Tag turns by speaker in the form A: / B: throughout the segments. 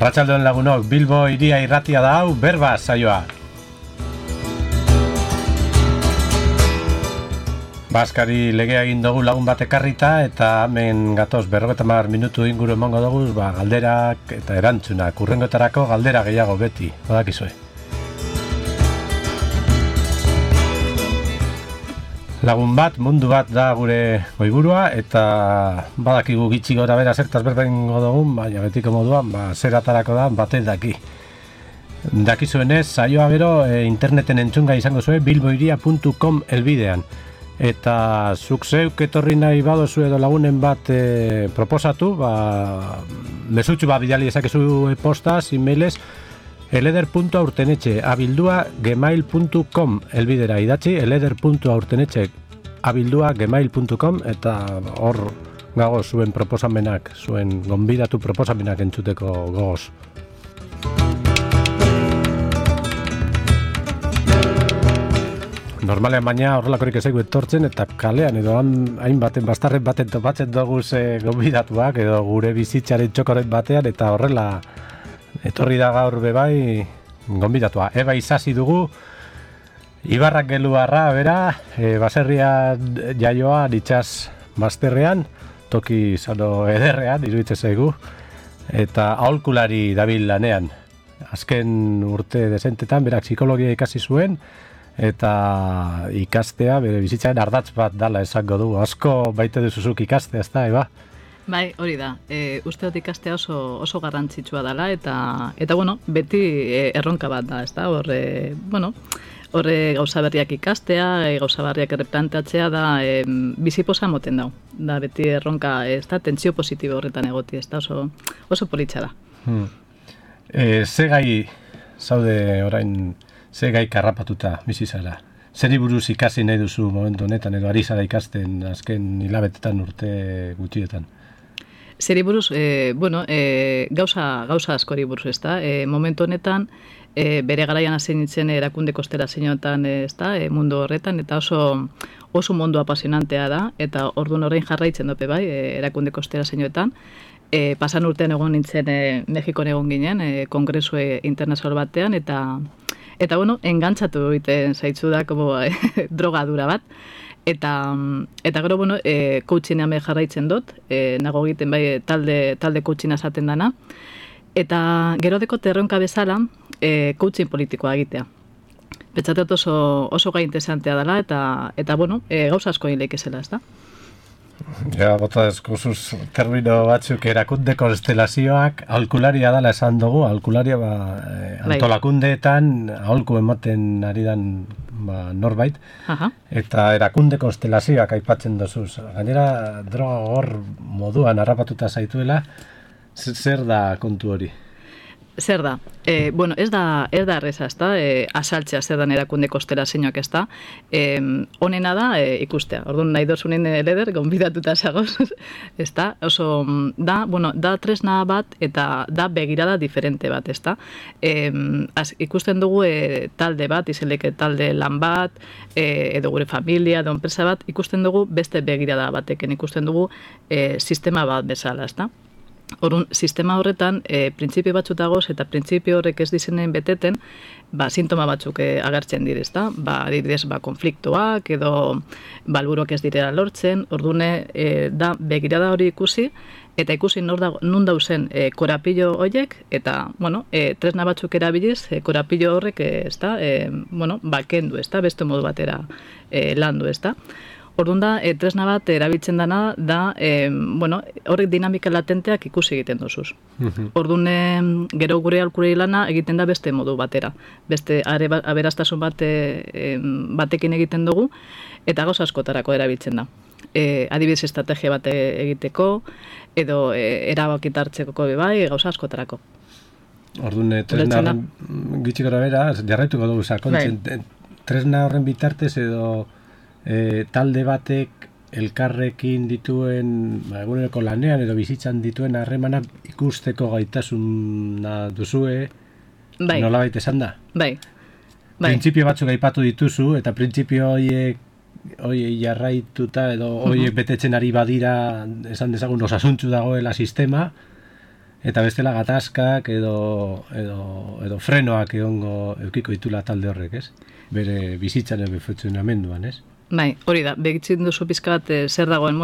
A: Arratsaldeon lagunok, Bilbo hiria irratia da hau, berba saioa. Baskari legea egin dugu lagun bat ekarrita eta hemen gatoz 50 minutu inguru emango dugu, galderak eta erantzunak, urrengotarako galdera gehiago beti, badakizue. Lagun bat, mundu bat da gure goiburua eta badakigu gitxi gora bera zertaz berbengo dugun, baina betiko moduan, zeratarako da batek daki. Dakizuenez, saioa gero interneten entzunga izango zuen bilboiria.com elbidean. Eta zuk zeuk etorri nahi badozu edo lagunen bat proposatu, mesutxu bat bidali ezakezu postaz, e-mailez, eleder.aurtenetxe@gmail.com elbidera idatzi, eleder.aurtenetxe@gmail.com eta hor gago zuen proposamenak, zuen gonbidatu proposamenak entzuteko gogoz. Normalean baina horrelakorik ezaigu etortzen eta kalean edo hainbaten bastarren baten topatzen dugu gonbidatuak edo gure bizitzaren txokoren batean eta horrela etorri da gaur bebai gonbidatua. Eba Isasi dugu, Ibarrak geluarra, bera, baserria jaioa ditxaz bazterrean, toki zano ederrean, iruditzen zaigu, eta aholkulari dabil lanean. Azken urte dezentetan, berak psikologia ikasi zuen, eta ikastea, bere bizitzaren ardatz bat dala esango du. Asko baite duzuzuk ikastea, ez da, Eba?
B: Bai, hori da. Uste dut ikastea oso garrantzitsua dela eta bueno, beti erronka bat da, ezta? Horre gauza berriak ikastea, gauza berriak erreplanteatzea da biziposa moten dau. Da beti erronka, ezta? Tentsio positibo horretan egoti, ezta? Oso politxa da.
A: Ze gai zaude orain, ze gai karrapatuta bizi zara? Zeri buruz ikasi nahi duzu momentu honetan edo ari zara ikasten azken hilabetetan urte gutxietan?
B: Zeri buruz, gauza askori buruz, ezta? Momentu honetan, bere garaian hasi nintzen erakunde konstelazioetan, ezta? Mundu horretan, eta oso mundu apasionantea da, eta orduan orain jarraitzen dope bai, erakunde konstelazioetan. Pasan urtean egon nintzen Mexikon egon ginen, kongresu internazional batean, eta engantzatu egiten zaitzu da, drogadura bat. Eta gero, coachingean jarraitzen dut, nago egiten bai talde coaching esaten dana. Eta gero deko terronka bezala, coaching politikoa egitea. Betzatet oso gai interesantea dela, eta gauza asko egin lehikezela, ez da?
A: Ja, bota eskuzuz termino batzuk erakunde konstelazioak, aholkularia dela esan dugu, aholkularia antolakundeetan aholku ematen ari dan norbait, eta erakunde konstelazioak aipatzen dozuz. Gainera, droga hor moduan harrapatuta zaituela, zer da kontu hori?
B: Zer da? Ez da erreza, ez da? Asaltzea zer dan erakunde konstelazioak, ez da? Honena da ikustea. Orduan nahi dozunen leder, gonbidatuta zagoz, ez da? Oso, da tresna bat eta da begirada diferente bat, ez da? Ikusten dugu talde bat, izeleke talde lan bat, edo gure familia, edo enpresa bat, ikusten dugu beste begirada bateken, ikusten dugu sistema bat bezala, ez da? Orduan, sistema horretan, printzipio batzuk dagoz eta printzipio horrek ez dizenen beteten, sintoma batzuk agertzen direz, da? Adibidez, konfliktoak edo balburuak ez direla lortzen, orduan, da begirada hori ikusi, eta ikusi nun dauzen korapillo horiek, eta, tresna batzuk erabiliz, korapillo horrek, ez da, kendu, ez da, beste modu batera landu, ez da. Orduan da, tresna bat erabiltzen dana da, horrek dinamika latenteak ikusi egiten dozuz. Orduan, gero gure aholkulari lana egiten da beste modu batera. Beste aberastasun batekin egiten dugu, eta gauza askotarako erabiltzen da. Adibidez estrategia bat egiteko, edo erabakita hartzeko bai, gauza askotarako.
A: Orduan, tresna gitxik gara bera, jarraituko dugu sakontzen, tresna horren bitartez edo talde batek elkarrekin dituen eguneroko lanean edo bizitzan dituen harremanak ikusteko gaitasuna duzue, nolabait esan da?
B: Bai.
A: Printzipio batzuk aipatu dituzu eta printzipio horiek jarraituta edo horiek betetzen ari badira esan dezagun osasuntsu dagoela sistema, Eta bestela gatazkak edo frenoak eukiko ditula talde horrek, ez? Bere bizitzaren funtzionamenduan, ez?
B: Bai, hori da, begitzen duzu pizkat zer dagoen,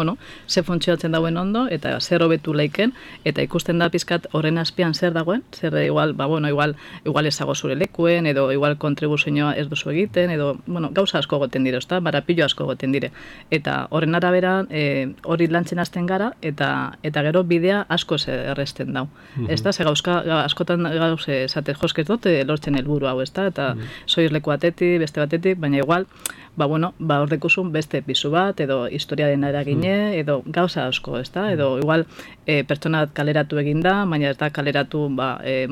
B: zer funtzionatzen dagoen ondo, eta zer hobetu laiken, eta ikusten da pizkat horren azpian zer dagoen, zer igual, igual ezago zure lekuen, edo igual kontribuzioa ez duzu egiten, edo, gauza asko goten dire, ezta, barapilo asko goten dire. Eta horren arabera, hori lantzen hasten gara, eta gero bidea asko erresten dau. Ezta, ze askotan gauze, esate, josket dut, lortzen helburu hau, ezta, eta soiz leku batetik, beste batetik, baina igual, horrekuzun beste pisu bat, edo historiaren eragine, edo gauza asko, ezta? Edo igual pertsona kaleratu egin da, baina ez da kaleratu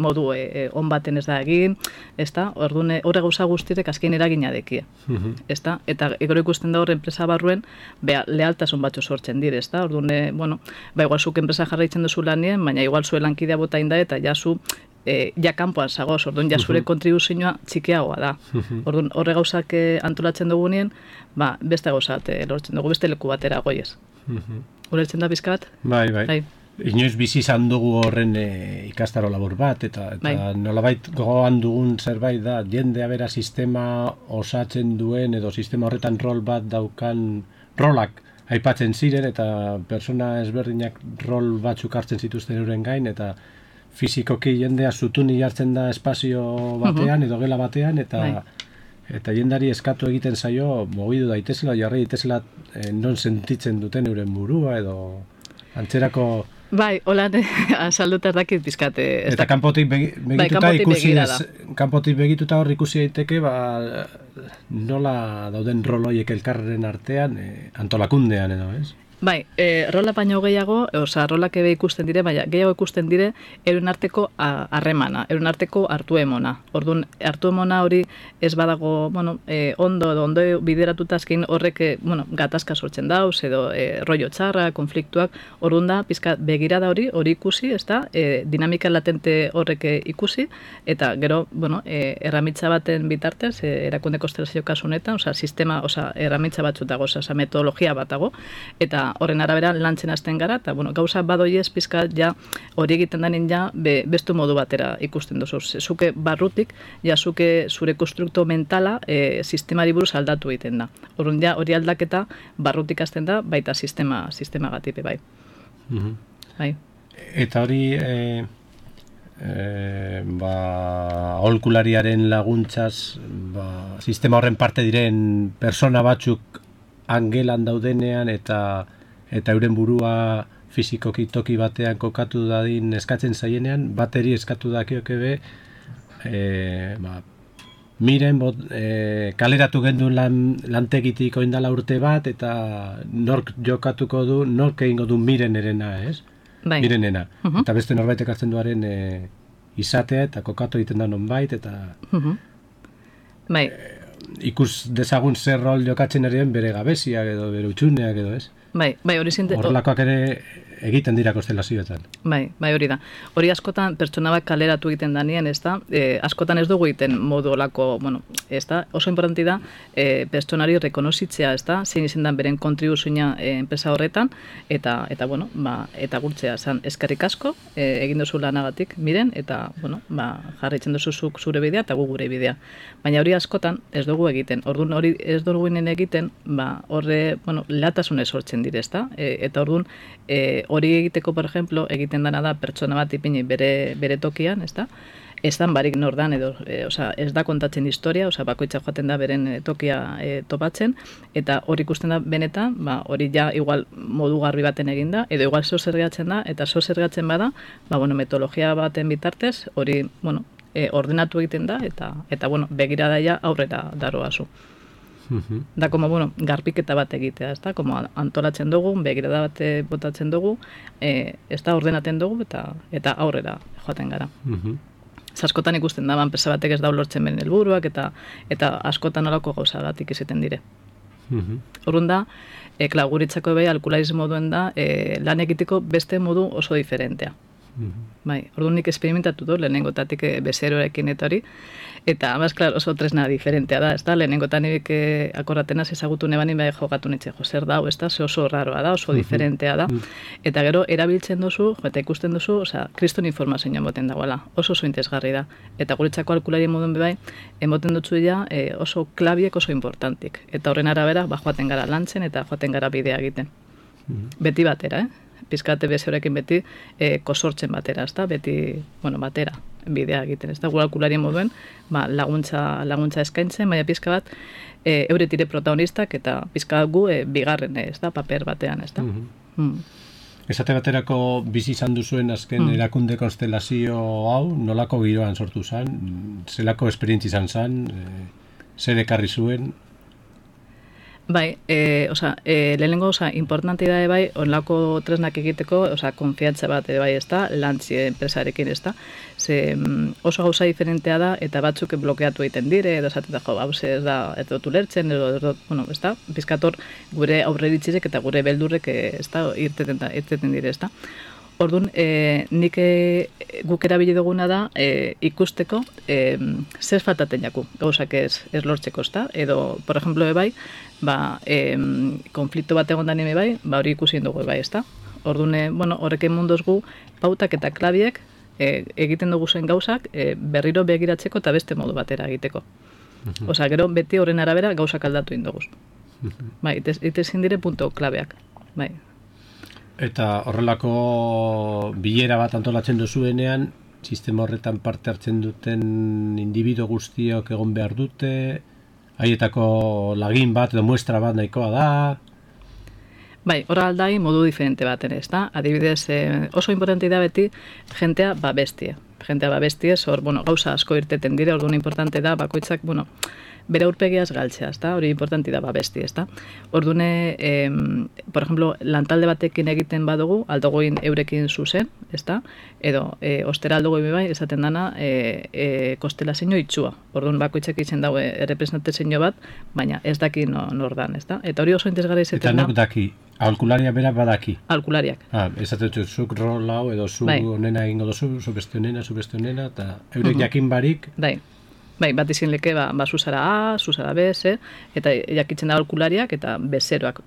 B: modu on baten ez da egin, ezta? Orduan horre gauza guztirek azken eragina dekie, ezta? Eta gero ikusten da hor enpresa barruen, lealtasun batzu sortzen dire, ezta? Orduan, igual zuk enpresa jarraitzen duzu lanien, baina igual zuen lankidea bota inda eta jazu ja kanpoan zagoz, orduan ja zure kontribuzioa txikiagoa da. Orduan horre gauzak antolatzen dugunien, beste gauzat lortzen dugu, beste leku batera goiez. Ulertzen da pizkat?
A: Bai. Inoiz bizi izan dugu horren ikastaro labur bat, eta nolabait gogoan dugun zerbait da, jendea bera sistema osatzen duen, edo sistema horretan rol bat daukan rolak aipatzen ziren, eta persona ezberdinak rol batzuk hartzen zituzten euren gain, eta fizikoki jendea zutuni jartzen da espazio batean, edo gela batean, eta jendari eskatu egiten zaio, mogidu daitezela, jarri daitezela non sentitzen duten euren burua, edo antzerako...
B: Bai, holan azalduta dakit pizkate.
A: Eta kanpotik begituta ikusi kanpotik begituta hor ikusi daiteke, nola dauden roloiek elkarren artean, antolakundean edo, ez?
B: Bai, rola baino gehiago, rolak ebe ikusten dire, baina gehiago ikusten dire euren arteko harremana, euren arteko hartu emona. Orduan, hartu emona hori ez badago, ondo bideratuta azken horrek, gatazka sortzen dauz, edo rollo txarra, konfliktuak, orduan da, pizka begirada hori ikusi, ez da, dinamika latente horrek ikusi, eta gero, erramitza baten bitartez, erakunde konstelazio kasunetan, sistema, erramitza batzut dago, metodologia bat dago, eta horren arabera lantzen hasten gara, eta gauza badoiez pizkat ja hori egiten denin ja bestu modu batera ikusten duzu. Zuke barrutik, ja zuke zure konstrukto mentala sistemari buruz aldatu egiten da. Horren ja hori aldaketa barrutik hasten da, baita sistema gatipe bai. Bai.
A: Eta hori aholkulariaren laguntzaz sistema horren parte diren persona batzuk angelan daudenean eta euren burua fizikoki toki batean kokatu dadin eskatzen zaienean, bateri eskatu dakioke be, miren kaleratu gendun lantegitik oindala urte bat, eta nork jokatuko du, nork egingo du mirenerena, ez?
B: Bai.
A: Mirenena. Eta beste norbaitek hartzen duaren izatea, eta kokatu egiten da nonbait, eta...
B: Bai.
A: Ikus dezagun zer rol jokatzen eriren bere gabeziak edo bere utxuneak edo, ez?
B: Bai, hori zinte...
A: Horrelakoak ere egiten dira konstelazioetan.
B: Bai, hori da. Hori askotan pertsona bat kaleratu egiten danien, ez da? Askotan ez dugu egiten modu olako, ez da? Oso importanti da, pertsonari rekonozitzea, ez da? Zein izan dan beren kontribuzioa enpresa horretan, eta eta gurtzea, eskerrik asko, egin duzu lanagatik, miren, eta, jarraitzen duzu zure bidea, eta gu gure bidea. Baina hori askotan ez dugu egiten. Orduan hori ez dugu egiten, horre, latasunez sortzen dire, ez da? Eta orduan, hori egiteko, por ejemplo, egiten dana da pertsona bat ipini bere tokian, ez da? Ez dan barik nordan, edo, ez da kontatzen historia, bakoitza joaten da beren tokia topatzen, eta hori ikusten da benetan, hori ja igual modu garbi baten eginda, edo igual zergatzen da, eta zergatzen bada, metodologia baten bitartez, hori, ordenatu egiten da, eta begirada ja aurrera daroazu. Da, garpiketa bat egitea, ez da, antolatzen dugu, begirada bat botatzen dugu, ez da, ordenaten dugu, eta aurrera joaten gara. Askotan ikusten da, enpresa batek ez da lortzen beren helburuak, eta askotan olako gauzagatik izaten dire. Horren da, guritzako bai, alkularismo moduen da, lan egiteko beste modu oso diferentea. Bai, orduan nik esperimentatu du, lehenengotatik bezeroekin eta hori, eta amaz, klar, oso tresna diferentea da, ez da, lehenengotan nik akorratenaz ezagutu nebanin bai jogatu nitxe, zer da, ez da, ze oso raroa da, oso diferentea da, eta gero erabiltzen duzu, eta ikusten duzu, kriston informazioa moten dagoela, oso interesgarri da, eta guretzako alkulari modun bai, emoten dutzu oso klabiek oso importantik, eta horren arabera, joaten gara lantzen, eta joaten gara bidea egiten. Beti batera, pizkate bezeroekin beti kosortzen batera, ezta? Beti, batera bidea egiten, ezta? Gure alkularien moduen, laguntza eskaintzen, baina pizka bat euretire protagonistak eta pizka gu bigarren, ezta? Paper batean, ezta?
A: Esate baterako bizi izan duzuen azken erakunde konstelazio hau, nolako giroan sortu zen, zelako esperientzi izan zen, zer ekarri zuen?
B: Bai, lehenengo, importante da bai, onlako tresnak egiteko, konfiantza bat bai, ez da, lantzi enpresarekin, ez da, oso gauza diferentea da, eta batzuk blokeatu egiten dire, edo esaten da, ez da, ez dut ulertzen, edo, ez da, bizkator gure aurreritzizek eta gure beldurrek, ez da, irteten dire, ez da. Orduan, nik guk erabili duguna da ikusteko zer faltaten jaku, gauzak ez lortzeko, ezta? Edo, por ejemplo, bai, konflikto bat egon dani bai, hori ikusi dugu bai, ezta? Orduan, horrekin mundoz gu, pautak eta klabiek egiten dugu zen gauzak berriro begiratzeko eta beste modu batera egiteko. Osa, gero beti horren arabera gauzak aldatu indoguz. Bai, itezin dire punto klabeak, bai.
A: Eta horrelako bilera bat antolatzen duzuenean, sistema horretan parte hartzen duten individuo guztiok egon behar dute, haietako lagin bat edo muestra bat nahikoa da?
B: Bai, horra aldai modu diferente baten, ez da? Adibidez, oso importante da beti jentea babestie. Jentea babestie, gauza asko irteten dire, orduan importante da, bakoitzak, bere aurpegiaz galtzea, ezta? Hori importanti da babesti, ezta? Ordune, por ejemplo, lantalde batekin egiten badugu, aldogoin eurekin zuzen, ezta? Edo, ostera aldogoin bai, esaten dana, kostelazio itxua. Orduan bakoitzak izen dago errepresentazio bat, baina ez daki nor dan, ezta? Eta hori oso interesgarri izaten da.
A: Eta nok daki? Aholkularia bera badaki?
B: Aholkulariak.
A: Esaten dut, zuk rol hau, edo zu onena egingo dozu, zu beste onena, eta eurek jakin barik?
B: Bai, bat izin leke, zuzara A, zuzara B, C, eta jakitzen da aholkulariak eta bezeroak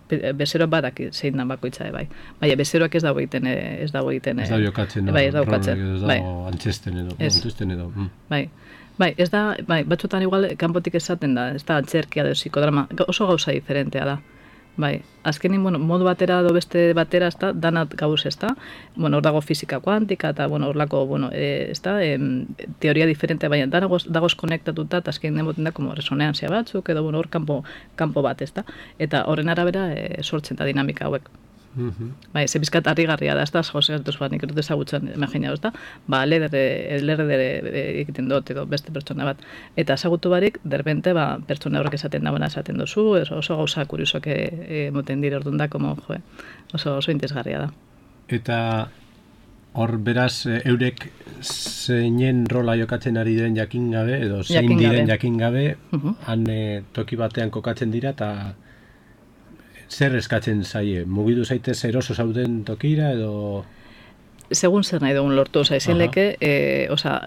B: badaki zein dan bakoitza, bai. Baina bezeroak ez dago egiten,
A: Ez dago jokatzen,
B: bai, ez dago jokatzen.
A: Ez dago antzesten edo.
B: Bai, ez da, batzutan igual kanpotik esaten da, ez da antzerkia edo psikodrama, oso gauza diferentea da. Bai, azkenin, modu batera edo beste batera, ez da, danat gauz, ez da, hor dago fizika kuantika, eta, hor lako, ez da, teoria diferente, baina dagoz konektatuta, eta azkenin demoten da, resoneantzia batzuk, edo, hor kanpo bat, ez da, eta horren arabera sortzen da dinamika hauek. Bai, ze bizkat harrigarria da, ez da, jauzegatuz bat, nik erut ezagutzen, imagina, ez da, lerre egiten dut, edo beste pertsona bat. Eta ezagutu barik, derbente, pertsona horrek esaten dagoena esaten duzu, oso gauza kuriosok moten dire orduan da, oso interesgarria da.
A: Eta hor beraz, eurek zeinen rola jokatzen ari diren jakin gabe, edo zein diren jakin gabe, han toki batean kokatzen dira, eta zer eskatzen zaie? Mugidu zaitez eroso zauden tokira edo...
B: Segun zer nahi dugun lortu, izin leke,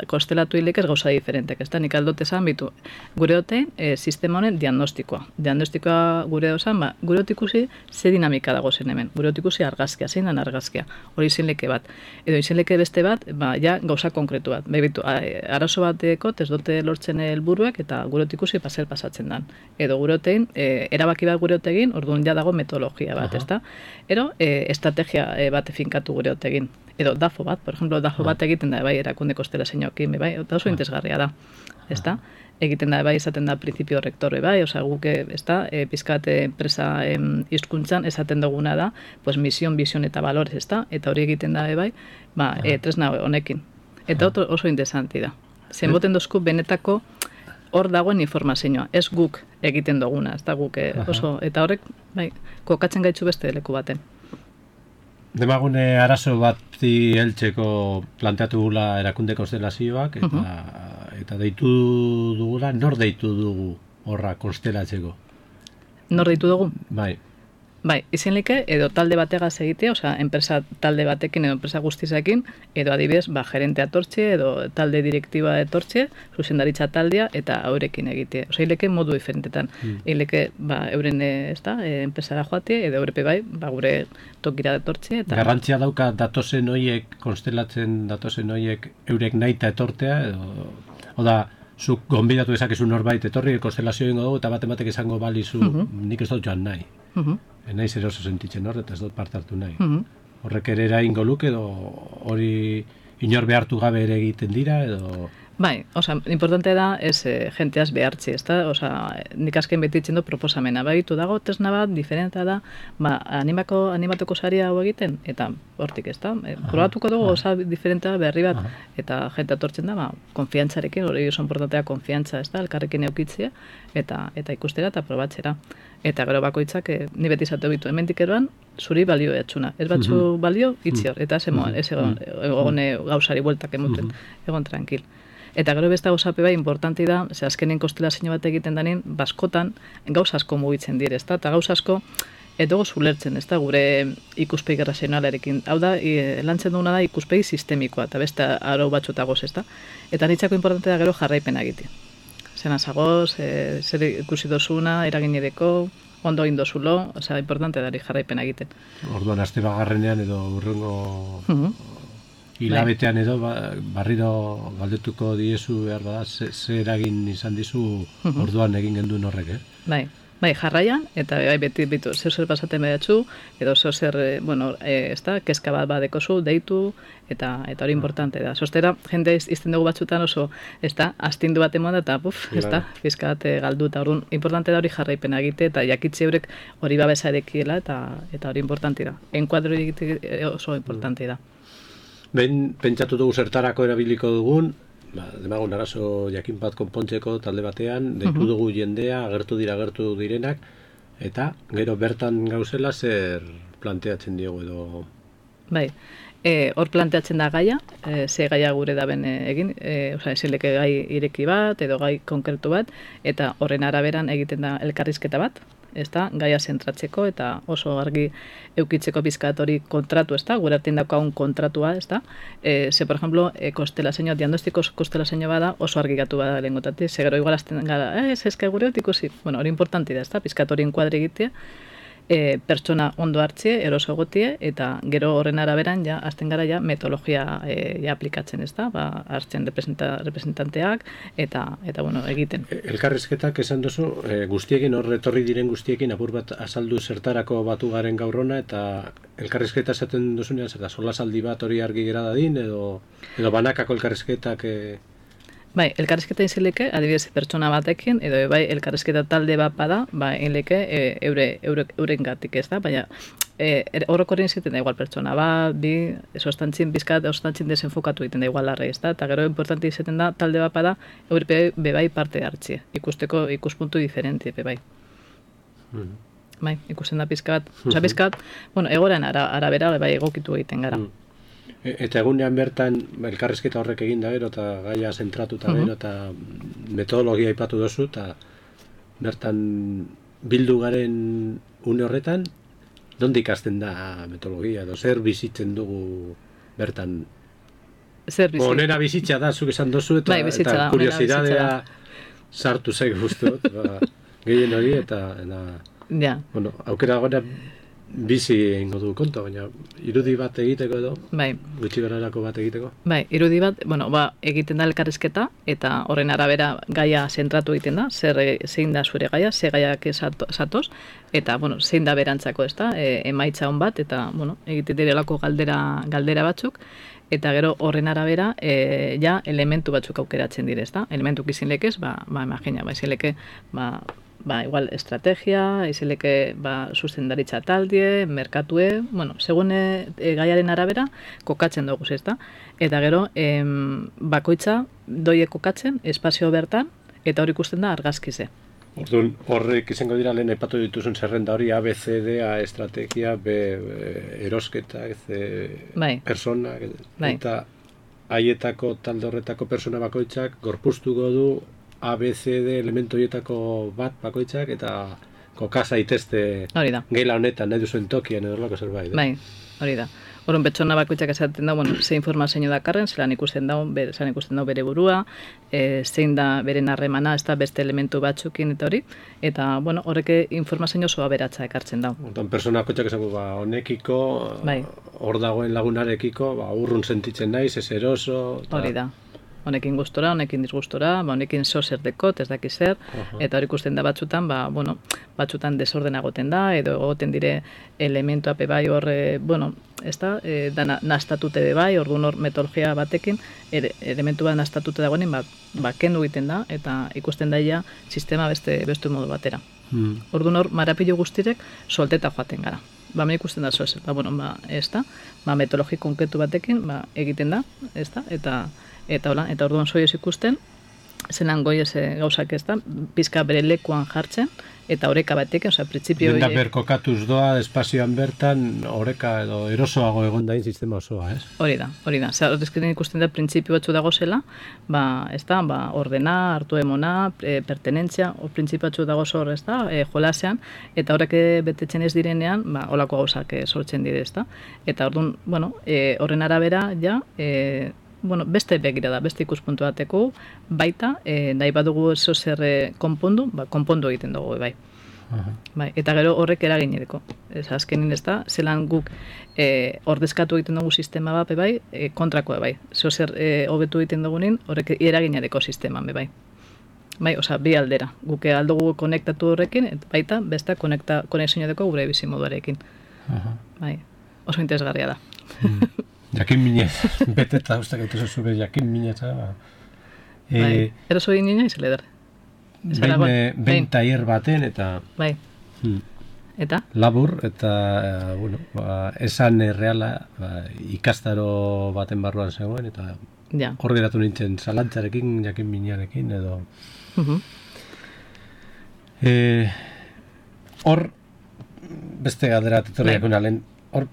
B: kostelatu hilek ez gauza diferentek, ez da, nik aldote zan bitu. Gure hote, sistema honen diagnostikoa. Diagnostikoa gure dozan, gure hot ikusi ze dinamika dago zen hemen. Gure hot ikusi argazkia, zein dan argazkia. Hori izin leke bat. Edo izin leke beste bat, ja gauza konkretu bat. Bebitu, arazo bateko, ez dute lortzen helburuak eta gure hot ikusi zer pasatzen dan. Edo gure hotein, erabaki bat gure hotegin, orduan ja dago metodologia bat, ez da. Ero, estrategia bat finkatu gure hotegin. Edo DAFO bat, por ejemplo, DAFO bat egiten da, bai, erakunde kostelazioekin, bai, eta oso interesgarria da, ez da? Egiten da, bai, esaten da principio rector, bai, oza, guke, ez da, pizkate enpresa hizkuntzan esaten duguna da, pues, misión, visión eta valores, ez da? Eta hori egiten da, bai, tresna honekin. Eta oso interesanti da. Zenboten dozku benetako hor dagoen informazioa, ez guk egiten duguna, ez da, guk oso, eta horrek, bai, kokatzen gaitzu beste leku baten.
A: Demagune arazo bati heltzeko planteatu gula erakunde konstelazioak, eta deitu dugula, nor deitu dugu horra konstelatzeko?
B: Nor deitu dugu?
A: Bai.
B: Bai, izenlike edo talde bategaz egitea, osea, enpresa talde batekin edo enpresa guztizekin, edo adibidez, gerentea etortxe edo talde direktiba etortxe, zuzendaritza taldea eta haurekin egitea. Osea, hileke modu diferentetan. Hileke, euren enpresara joatea, edo eurepe bai, gure tokira etortxe. Eta...
A: Garrantzia dauka datozen hoiek, konstelatzen datozen hoiek, eurek naita etortea, edo... Oda, zuk gonbidatu ezakezu norbait etorri, konstelazio ingo dugu, eta batek esango balizu, nik ez dut joan nahi. Naiz eroso sentitzen hor, eta ez dut parte hartu nahi. Horrek ere eraingo luke, edo hori inor behartu gabe ere egiten dira, edo...
B: Bai, importante da, jenteaz behartzi, ezta? Nik azken beti itzen du proposamena. Baitu dago, tresna bat, diferenta da, animatuko saria hau egiten, eta hortik, ezta? Probatuko dugu, diferenta berri bat, eta jente atortzen da, konfiantzarekin, hori oso importantea konfiantza, ezta? Elkarrekin eukitzea, eta ikustera, eta probatzera. Eta gero bakoitzak, ni beti izate bitu, hemendik eroan, zuri balio etxuna. Ez batzu balio, itzi hor, eta ez egon gauzari bueltak emuten, egon tranquil. Eta gero beste gauzape bai, importanti da, azkenen konstelazio bat egiten denin, baskotan gauza asko mugitzen dire, ezta? Eta gauza asko, edo zulertzen, ezta? Gure ikuspegi razionalarekin. Hau da, lantzen duguna da ikuspegi sistemikoa, eta beste arau batxotagoz, ezta? Eta nitzako importante da gero jarraipena egitea. Zena zagoz, zer ikusi dozuna, eraginedeko, ondo egin dozulo, importante da jarraipena egiten.
A: Orduan, aste bagarrenean edo urrengo... Hilabetean edo, barriro galdetuko diezu behar bada, ze eragin izan dizu orduan egin genduen horrek,
B: Bai, jarraian, eta beti zer pasaten behatzu, edo zer, kezka bat badekozu, deitu, eta hori importante da. Zostera, jende izten dugu batzutan oso, astindu bat emon da, eta fizka bat galdu, eta orduan, importante da hori jarraipena egite, eta jakitze horrek hori babesa erekiela, eta hori importante da. Enkuadro egite oso importante da.
A: Behin pentsatu dugu zertarako erabiliko dugun, demagun arazo jakin bat konpontzeko talde batean, deitu dugu jendea, agertu direnak, eta gero bertan gauzela zer planteatzen diogu edo...
B: Bai, hor planteatzen da gaia, ze gaia gure daben egin, eseleke gai ireki bat, edo gai konkretu bat, eta horren araberan egiten da elkarrizketa bat, gaia zentratzeko eta oso argi eukitzeko bizkat hori kontratu, gure artean daukagun kontratua, ze, por ejemplo, diagnostiko konstelazio bada oso argi gatu bada lehengotatik, ze gero igual azten gara, eske gure hori ikusi, hori importanti da, bizkat hori enkuadri egitea, pertsona ondo hartzie, eroso egotie, eta gero horren araberan, azten gara metodologia aplikatzen, hartzen representanteak, eta egiten.
A: Elkarrizketak esan duzu, guztiekin, hor etorri diren guztiekin, apur bat azaldu zertarako batu garen gaurrona, eta elkarrizketa esaten duzunean, zer da, solasaldi bat hori argi gera dadin, edo banakako elkarrizketak...
B: Bai, elkarrizketa izileke, adibidez pertsona batekin, edo bai, elkarrizketa talde bat bada, hileke euren gatik, baina horrekorin ziten da igual pertsona bat, ostantzin bizkat, ostantzin desenfokatu egiten da igual larre, eta gero importanti izaten da talde bat bada, eurpe bai parte hartzie, ikusteko ikuspuntu diferenti, bai. Bai, ikusten da bizkat, egoran arabera bai egokitu egiten gara.
A: Eta egunean bertan elkarrizketa horrek egin da gero, eta gaia zentratuta gero, eta metodologia aipatu dozu, eta bertan bildu garen une horretan, nondi ikasten da metodologia, edo zer bizitzen dugu bertan? Onera bizitza da, zuk esan dozu, eta kuriosidadea sartu zaik guztu, gehien hori, eta aukera gora bizi egingo du konta, baina irudi bat egiteko edo, gutxi gararako bat egiteko?
B: Bai, irudi bat, egiten da elkarrizketa, eta horren arabera gaia zentratu egiten da, zein da zure gaia, ze gaiak zatoz, eta zein da berantzako, emaitza hon bat, eta egiten direlako galdera batzuk, eta gero horren arabera elementu batzuk aukeratzen dire, elementuk izin lekez, imagina, izin leke, igual estrategia, izileke zuzendaritza taldie, merkatue, segun gaiaren arabera, kokatzen dugu, eta gero, bakoitza doie kokatzen, espazio bertan, eta hori ikusten da argazkize.
A: Orduan, horrek izango dira lehen epatu dituzun zerrenda hori, A, B, C, D, A, estrategia, B, erosketa, persona, eta haietako talde horretako persona bakoitzak gorpuztuko du A, B, C, D elementu horietako bat bakoitzak, eta koka zaitezte geila honetan, nahi duzuen tokian edo lako zerbait.
B: Bai, hori da. Horren, pertsona bakoitzak esaten da, ze informazio dakarren, zelan ikusten dau bere burua, zein da beren harremana, ez da beste elementu batzukin eta hori, eta, horrek informazio oso aberatsa ekartzen dau.
A: Hortan, pertsona bakoitzak esango, honekiko, hor dagoen lagunarekiko, urrun sentitzen naiz, ez eroso.
B: Hori da. Honekin gustora, honekin disgustora, honekin zer dekot, ez daki zer, eta hori ikusten da batzutan, batzutan desordena egoten da, edo egoten dire elementua bai hor, ez da, nastatute bai, orduan hor metodologia batekin, elementua nastatute dagoenin, kendu egiten da, eta ikusten daia sistema beste modu batera. Orduan hor, marapilo guztirek solteta joaten gara. Me ikusten da zoaz, ez da, metodologi konkretu batekin, egiten da, ez da, eta orduan soioz ikusten, zelan goiez gauzak ez da, pizka bere lekuan jartzen, eta oreka batekin, printzipio...
A: Denda berkokatuz doa, espazioan bertan, oreka edo erosoago egon dain sistema osoa, ez?
B: Hori da. Horrezkeren ikusten da, printzipio batzu dago zela, ez da, ordena, hartu emona, pertenentzia, printzipio batzu dago zor, ez da, jolasean, eta horrek betetzen ez direnean, holako gauzak sortzen dire, ez da. Eta orduan, horren arabera, ja, beste begira da, beste ikuspuntu bateko, baita, nahi badugu eso zer konpondu egiten dugu, bai. Eta gero horrek eraginereko. Azkenin ez da, zelan guk ordezkatu egiten dugu sistema bat, bai, kontrakoa, bai. Zo zer hobetu egiten dugunin, horrek eraginereko sisteman, bai. Bai, bi aldera. Guk aldugu konektatu horrekin, baita, beste konexioa deko gure bizimoduarekin. Bai, oso interesgarria da.
A: Jakin minez, bete eta ustak egitu zuzube jakin minez.
B: Eroso egin nina izan leder.
A: Behin taier baten eta...
B: Bai. Eta?
A: Labur eta, esan erreala ikastaro baten barruan zegoen eta hor geratu nintzen zalantzarekin, jakin minarekin edo... Hor, beste galdera tetorriak unalen, hor,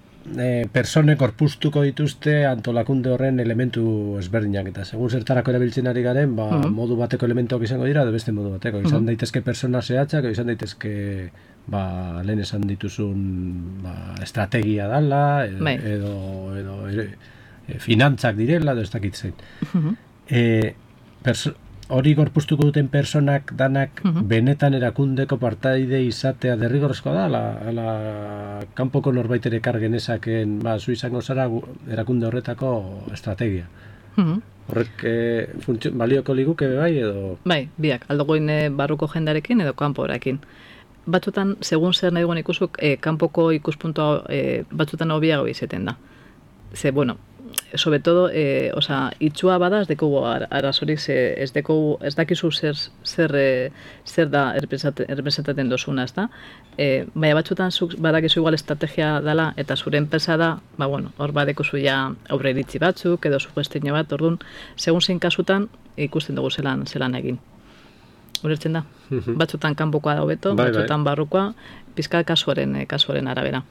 A: personek orpustuko dituzte antolakunde horren elementu ezberdinak eta segun zertarako erabiltzen ari garen, modu bateko elementuak izango dira edo beste modu bateko. Izan daitezke persona zehatzak, izan daitezke lehen esan dituzun estrategia dala edo finantzak direla edo ez dakit zein. Hori gorpuztuko duten personak danak benetan erakundeko partaide izatea derrigorrezkoa da, ala kanpoko norbait ere kargenezaken, zu izango zara erakunde horretako estrategia. Horrek balioko liguke bai edo?
B: Bai, biak, aldogoin barruko jendarekin edo kanporekin. Batzutan, segun zer nahi guen ikusuk, kanpoko ikuspuntua batzutan hobiago izeten da. Ze, sobre todo, itxua bada ez dekogu arazorik, ez dakizu zer da errepresentaten dozuna, ez da? Baina batzutan badakizu igual estrategia dela eta zure enpresa da, hor badekuzu ja aurre iritzi batzuk edo sugestio bat, orduan, segun zein kasutan ikusten dugu zelan egin. Ulertzen da? Batzutan kanpokoa da hobeto, batzutan barrukoa, pizka kasuaren arabera.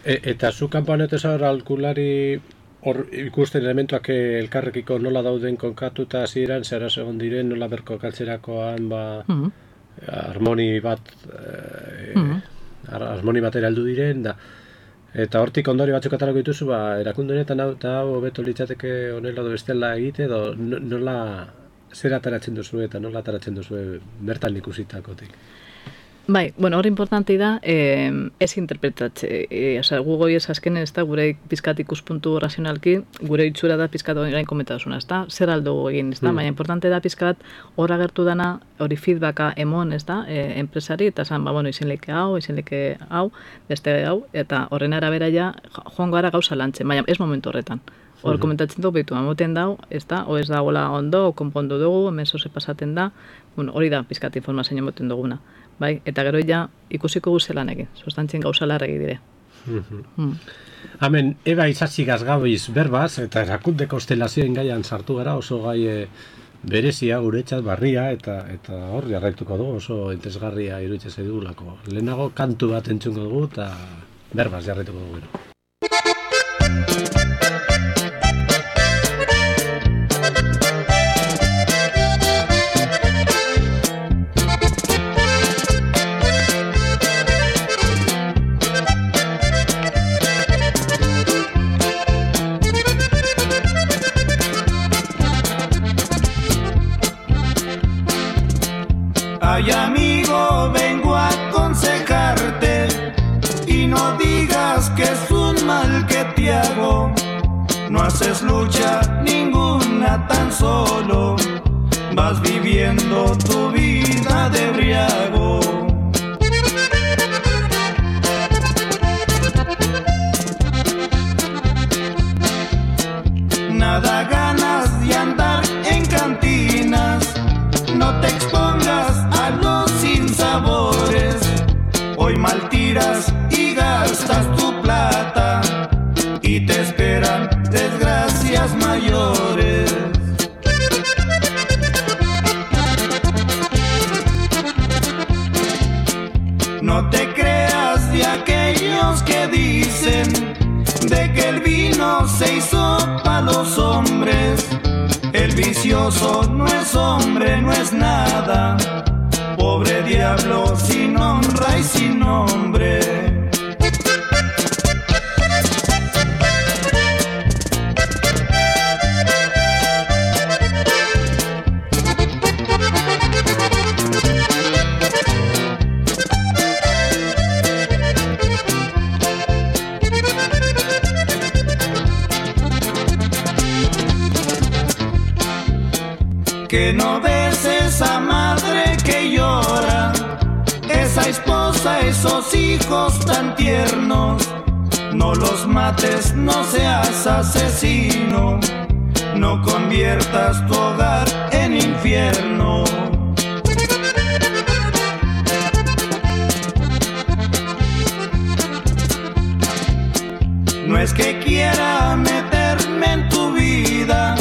A: Eta zu kanpoan etesa aholkulari hor ikusten elementuak elkarrekiko nola dauden konkatuta hasieran zehara segon diren, nola berkokatzerakoan harmoni batera heldu diren, eta hortik ondori batzuk atarako dituzu, erakunde honetan hau hobeto litzateke honela edo bestela egite, edo nola zer ataratzen duzu eta nola ataratzen duzu bertan ikusitakotik.
B: Bai, hori importanti da, ez interpretatze. Gu goiez azkenen ez da, gure pizkat ikuspuntu razionalki, gure itxura da pizkat gain komentazuna, ez da, zer aldo egin, ez da, baina importante da pizkat hor agertu dana, hori feedbacka emon, ez da, enpresari, eta zan, izenleke hau, beste hau, eta horren arabera ja, joan gara gauza lantzen, baina ez momentu horretan. Hor komentatzen dugu, behitu, amoten dau, ez da, o ez da gola ondo, konpondu dugu, hemen zoze pasaten da, hori da pizkat informazioa emoten duguna. Bai, eta gero ja ikusiko guzelan egin, sustantzien gauza larregi dire.
A: Hemen, eba izatzi gazgabiz berbaz, eta erakunde konstelazioen gaian sartu gara, oso gai berezia, guretzat, barria, eta hor jarraituko dugu, oso entesgarria iruditzen zaidugulako. Lehenago kantu bat entzungo dugu, eta berbaz jarraituko dugu gero.
C: tan solo vas viviendo tu vida de briago. Nada ganas de andar en cantinas, no te expongas a los sinsabores. Hoy mal tiras y gastas tu plata y te esperan desgracias mayores. No te creas de aquellos que dicen de que el vino se hizo para los hombres. El vicioso no es hombre, no es nada. Pobre diablo sin honra y sin nombre. Que no ves esa madre que llora, esa esposa, esos hijos tan tiernos. No los mates, no seas asesino, no conviertas tu hogar en infierno. No es que quiera meterme en tu vida,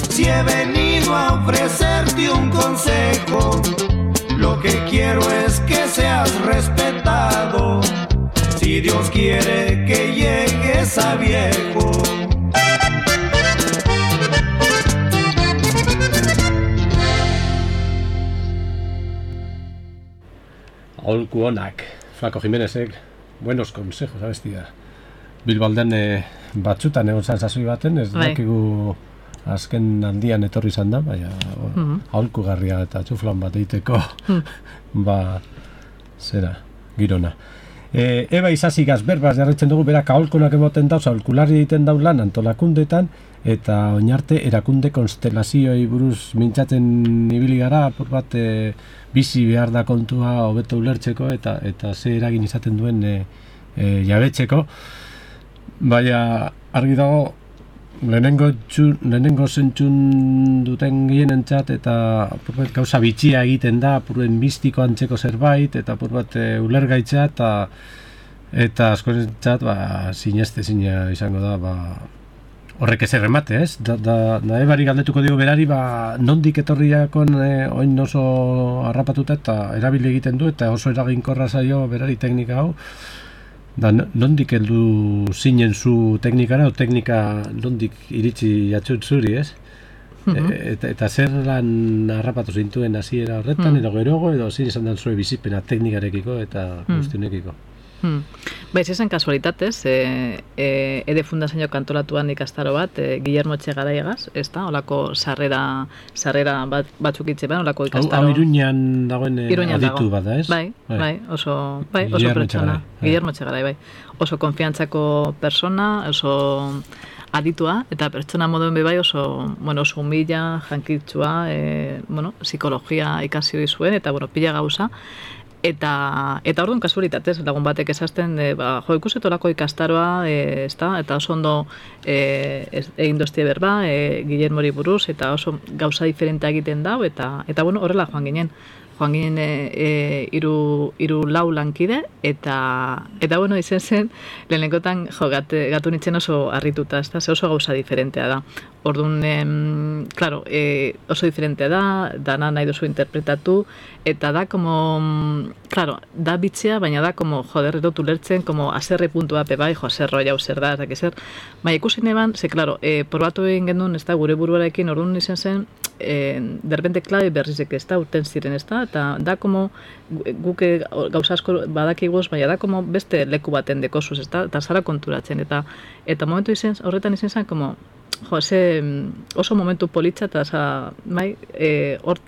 C: si he venido a ofrecerte un consejo, lo que quiero es que seas respetado, si Dios quiere que llegues a viejo.
A: Aholku onak, Flaco Jimenezek, buenos consejos, abestia. Bilbalden batzutan egon zan sasoi baten, ez dakigu azken aldian etorri izan da, baina aholku garria eta txuflan bat eiteko, zera, girona. Eba Izazigaz berbaz jarraitzen dugu, berak aholkunak emoten dauz, aholkulari egiten dau lan antolakundetan, eta oinarte erakunde konstelazioei buruz mintzatzen ibili gara, apur bat bizi behar da kontua hobeto ulertzeko, eta ze eragin izaten duen jabetzeko. Baina argi dago, lehenengo zentzun duten gehienentzat eta apurbat gauza bitxia egiten da, apurben mistiko antzeko zerbait, eta apurbat ulergaitza eta askorentzat sinestezina izango da, horrek ezer remate, ez? Da ebari galdetuko dio berari, nondik etorriakon oin oso harrapatuta eta erabili egiten du, eta oso eraginkorra zaio berari teknika hau. Da, nondik heldu zinen zu teknikara, o teknika nondik iritsi jatzut zuri, ez? Eta zer lan harrapatu zintuen hasiera horretan, edo gerogo, edo zin izan dan zure bizipena teknikarekiko eta guztionekiko.
B: Baiz esan kasualitatez, Ede Fundazio kantolatuan ikastaro bat, Guillermo Etxegaraiagaz, ez da, olako sarrera batzuk itzeban, olako ikastaro.
A: Hau Iruñan dagoen aditu bat da, ez?
B: Bai, oso pertsona. Guillermo Etxegarai, bai. Oso konfiantzako persona, oso aditua, eta pertsona moduen bai oso humila, jankitsua, psikologia ikasi zuen, eta pila gauza. Eta orduan kasualitatez, lagun batek esazten, ikusetolako ikastaroa, eta oso ondo egin doztie berba, Guillermori buruz, eta oso gauza diferentea egiten dau, eta horrela joan ginen hiru lau lankide, eta izen zen, lehenengotan gatu nintzen oso harrituta, ze oso gauza diferentea da. Orduan, oso diferentea da, dana nahi duzu interpretatu, eta da, da bitzea, baina da, erotu lertzen, aserre puntua bai, aserro jau zer da, baina ikusi neban, probatu egin gendun, ez da, gure buruarekin, orduan izen zen, derbente klabe berrizek ez da, urten ziren ez da, eta da, guk gauza asko badakiguz, baina da, beste leku baten dekozuz, ez da, eta zara konturatzen, eta momentu horretan izen zen, oso momentu politza, eta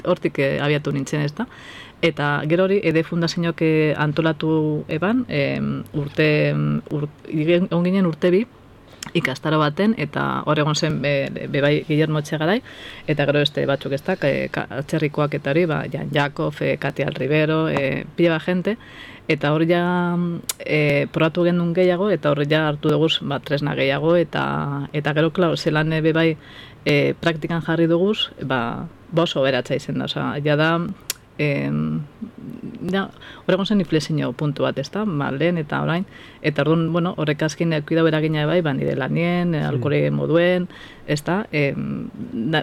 B: hortik abiatu nintzen ez da. Eta gero hori, Ede Fundazioak antolatu eban, onginen urte bi, ikastaro baten, eta hor egon zen bebai Guillermo Etxegarai, eta gero beste batzuk ez da, atzerrikoak eta hori, Jan Jakov, Katia Rivero, pila bat jente, eta hor ja probatu gendun gehiago, eta hor ja hartu duguz tresna gehiago, eta gero, klar, zelan bebai praktikan jarri duguz, oso beratza izen da, oza, ja da, horregon zen inflexio puntu bat, ez da, lehen eta orain, eta orduan, bueno, horrek azkin ekuidau eragina bai, nire lanien, alkore moduen, ez da,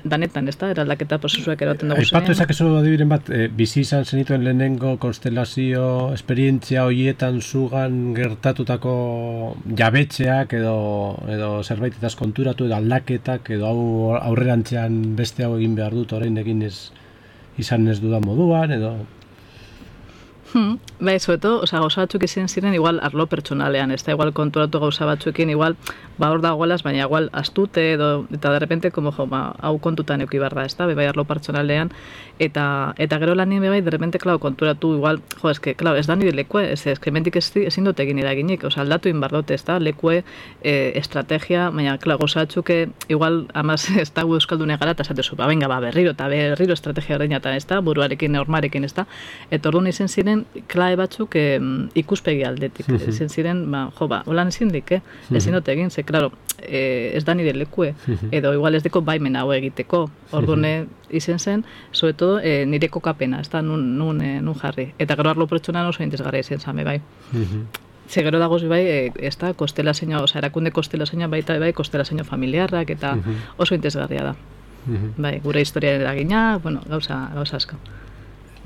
B: danetan, ez da, eraldaketa prozesuak eraten dugu zenean.
A: Aipatu ezakezu adibiren bat, bizi izan zenituen lehenengo konstelazio esperientzia horietan zugan gertatutako jabetxeak edo zerbaitetaz konturatu edo aldaketak edo hau aurrerantzean beste hau egin behar dut, orain egin izan ez dudan moduan, edo...
B: Bai, sobeto, gauza batzuk izan ziren igual arlo pertsonalean, ez da, igual konturatu gauza batzuekin, igual, hor dagoelaz, baina igual astute, eta de repente, hau kontutan euki barra, ez da, bai arlo pertsonalean, eta gero lanien bai, de repente, klar, konturatu, igual, ez da nire lekue, mentik ezin dut egin eraginik, aldatu inbardote, ez da, lekue, estrategia, baina, klar, gauza batzuk, igual, amaz, ez da, euskaldune gara, eta zatezu, berriro estrategia horreñatan, ez da, buruarekin, ormarekin, ez da, eta orduan izan ziren, klae batzuk ikuspegi aldetik. Ezin ziren, holan ezin dik, ezin dut egin, ze, klaro, ez da nire lekue, edo igual ez deko baimen hau egiteko. Orduan izen zen, sobre todo, nire kokapena, ez da, nun jarri. Eta gero arlo pertsonan oso interesgarria izen zame, bai. Ze gero dagoz, bai, ez da, kostelaseño, erakunde kostelaseño baita, bai, kostelaseño familiarrak, eta oso interesgarria da. Bai, gure historiaren eragina, bueno, gauza asko.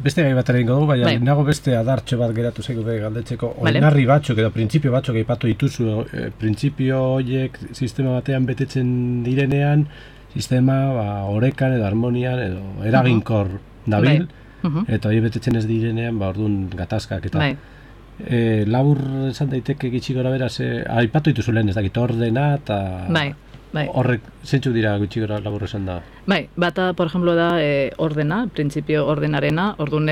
A: Beste gai bat egingo dugu, baina nago beste adartxo bat geratu zaigu galdetzeko. Oinarri batzuk edo printzipio batzuk aipatu dituzu, printzipio horiek sistema batean betetzen direnean, sistema orekan edo harmonian edo eraginkor dabil, eta hori betetzen ez direnean, orduan gatazkak eta... Labur esan daiteke gitxi gora beraz, aipatu dituzu lehen ez dakit ordena eta... Horrek, zentzu dira gutxi gara labur esan da?
B: Bai, bata, por ejemplo, da ordena, printzipio ordenarena, orduan,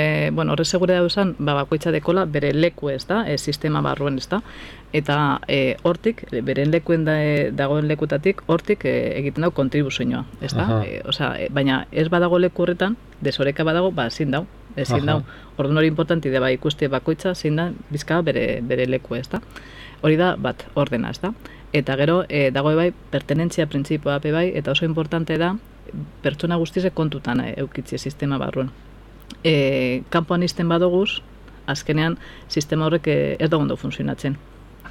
B: horre segure da esan, bakoitza dekola bere leku ez da, sistema barruen ez da, eta hortik, beren lekuen dagoen lekutatik, hortik egiten dago kontribuzioa, ez da? Baina ez badago leku horretan, desoreka badago, ezin dau, orduan hori importanti da, ikuste bakoitza, zein da, bizka bere leku ez da. Hori da, bat, ordena ez da. Eta gero, dago bai, pertenentzia printzipioa bai, eta oso importante da, pertsona guztize kontutan eukitzi sistema barruan. Kanpoan izten badoguz, azkenean, sistema horrek ez da ondo funtzionatzen.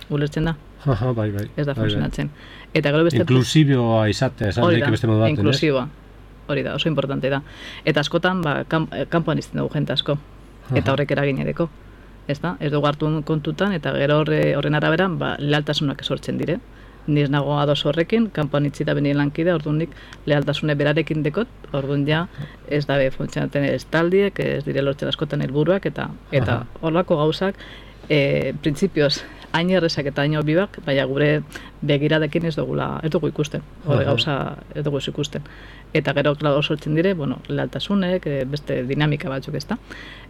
B: Ulertzen da?
A: Bai.
B: Ez da funtzionatzen. Eta gero beste...
A: Inklusibioa izatea, esan daik beste modu baten,
B: inklusiboa. Hori da, oso importante da. Eta askotan, kanpoan izten dugu jente asko. Eta horrek eragin edeko. Ez dugu hartu kontutan, eta gero horren araberan, lealtasunak sortzen dire. Ni ez nago ados horrekin, kanpoan itzita benien lankide, orduan nik lealtasune berarekin dekot, orduan ja ez dabe funtzionaten ez taldiek, ez dire lortzen askotan helburuak, eta horlako gauzak, printzipioz, hain errezak eta hain obibak, baina gure begiradekin ez dugu ikusten, hori gauza ez dugu ikusten. Eta gero, klaro, sortzen dire, lealtasunek, beste dinamika batzuk ez da.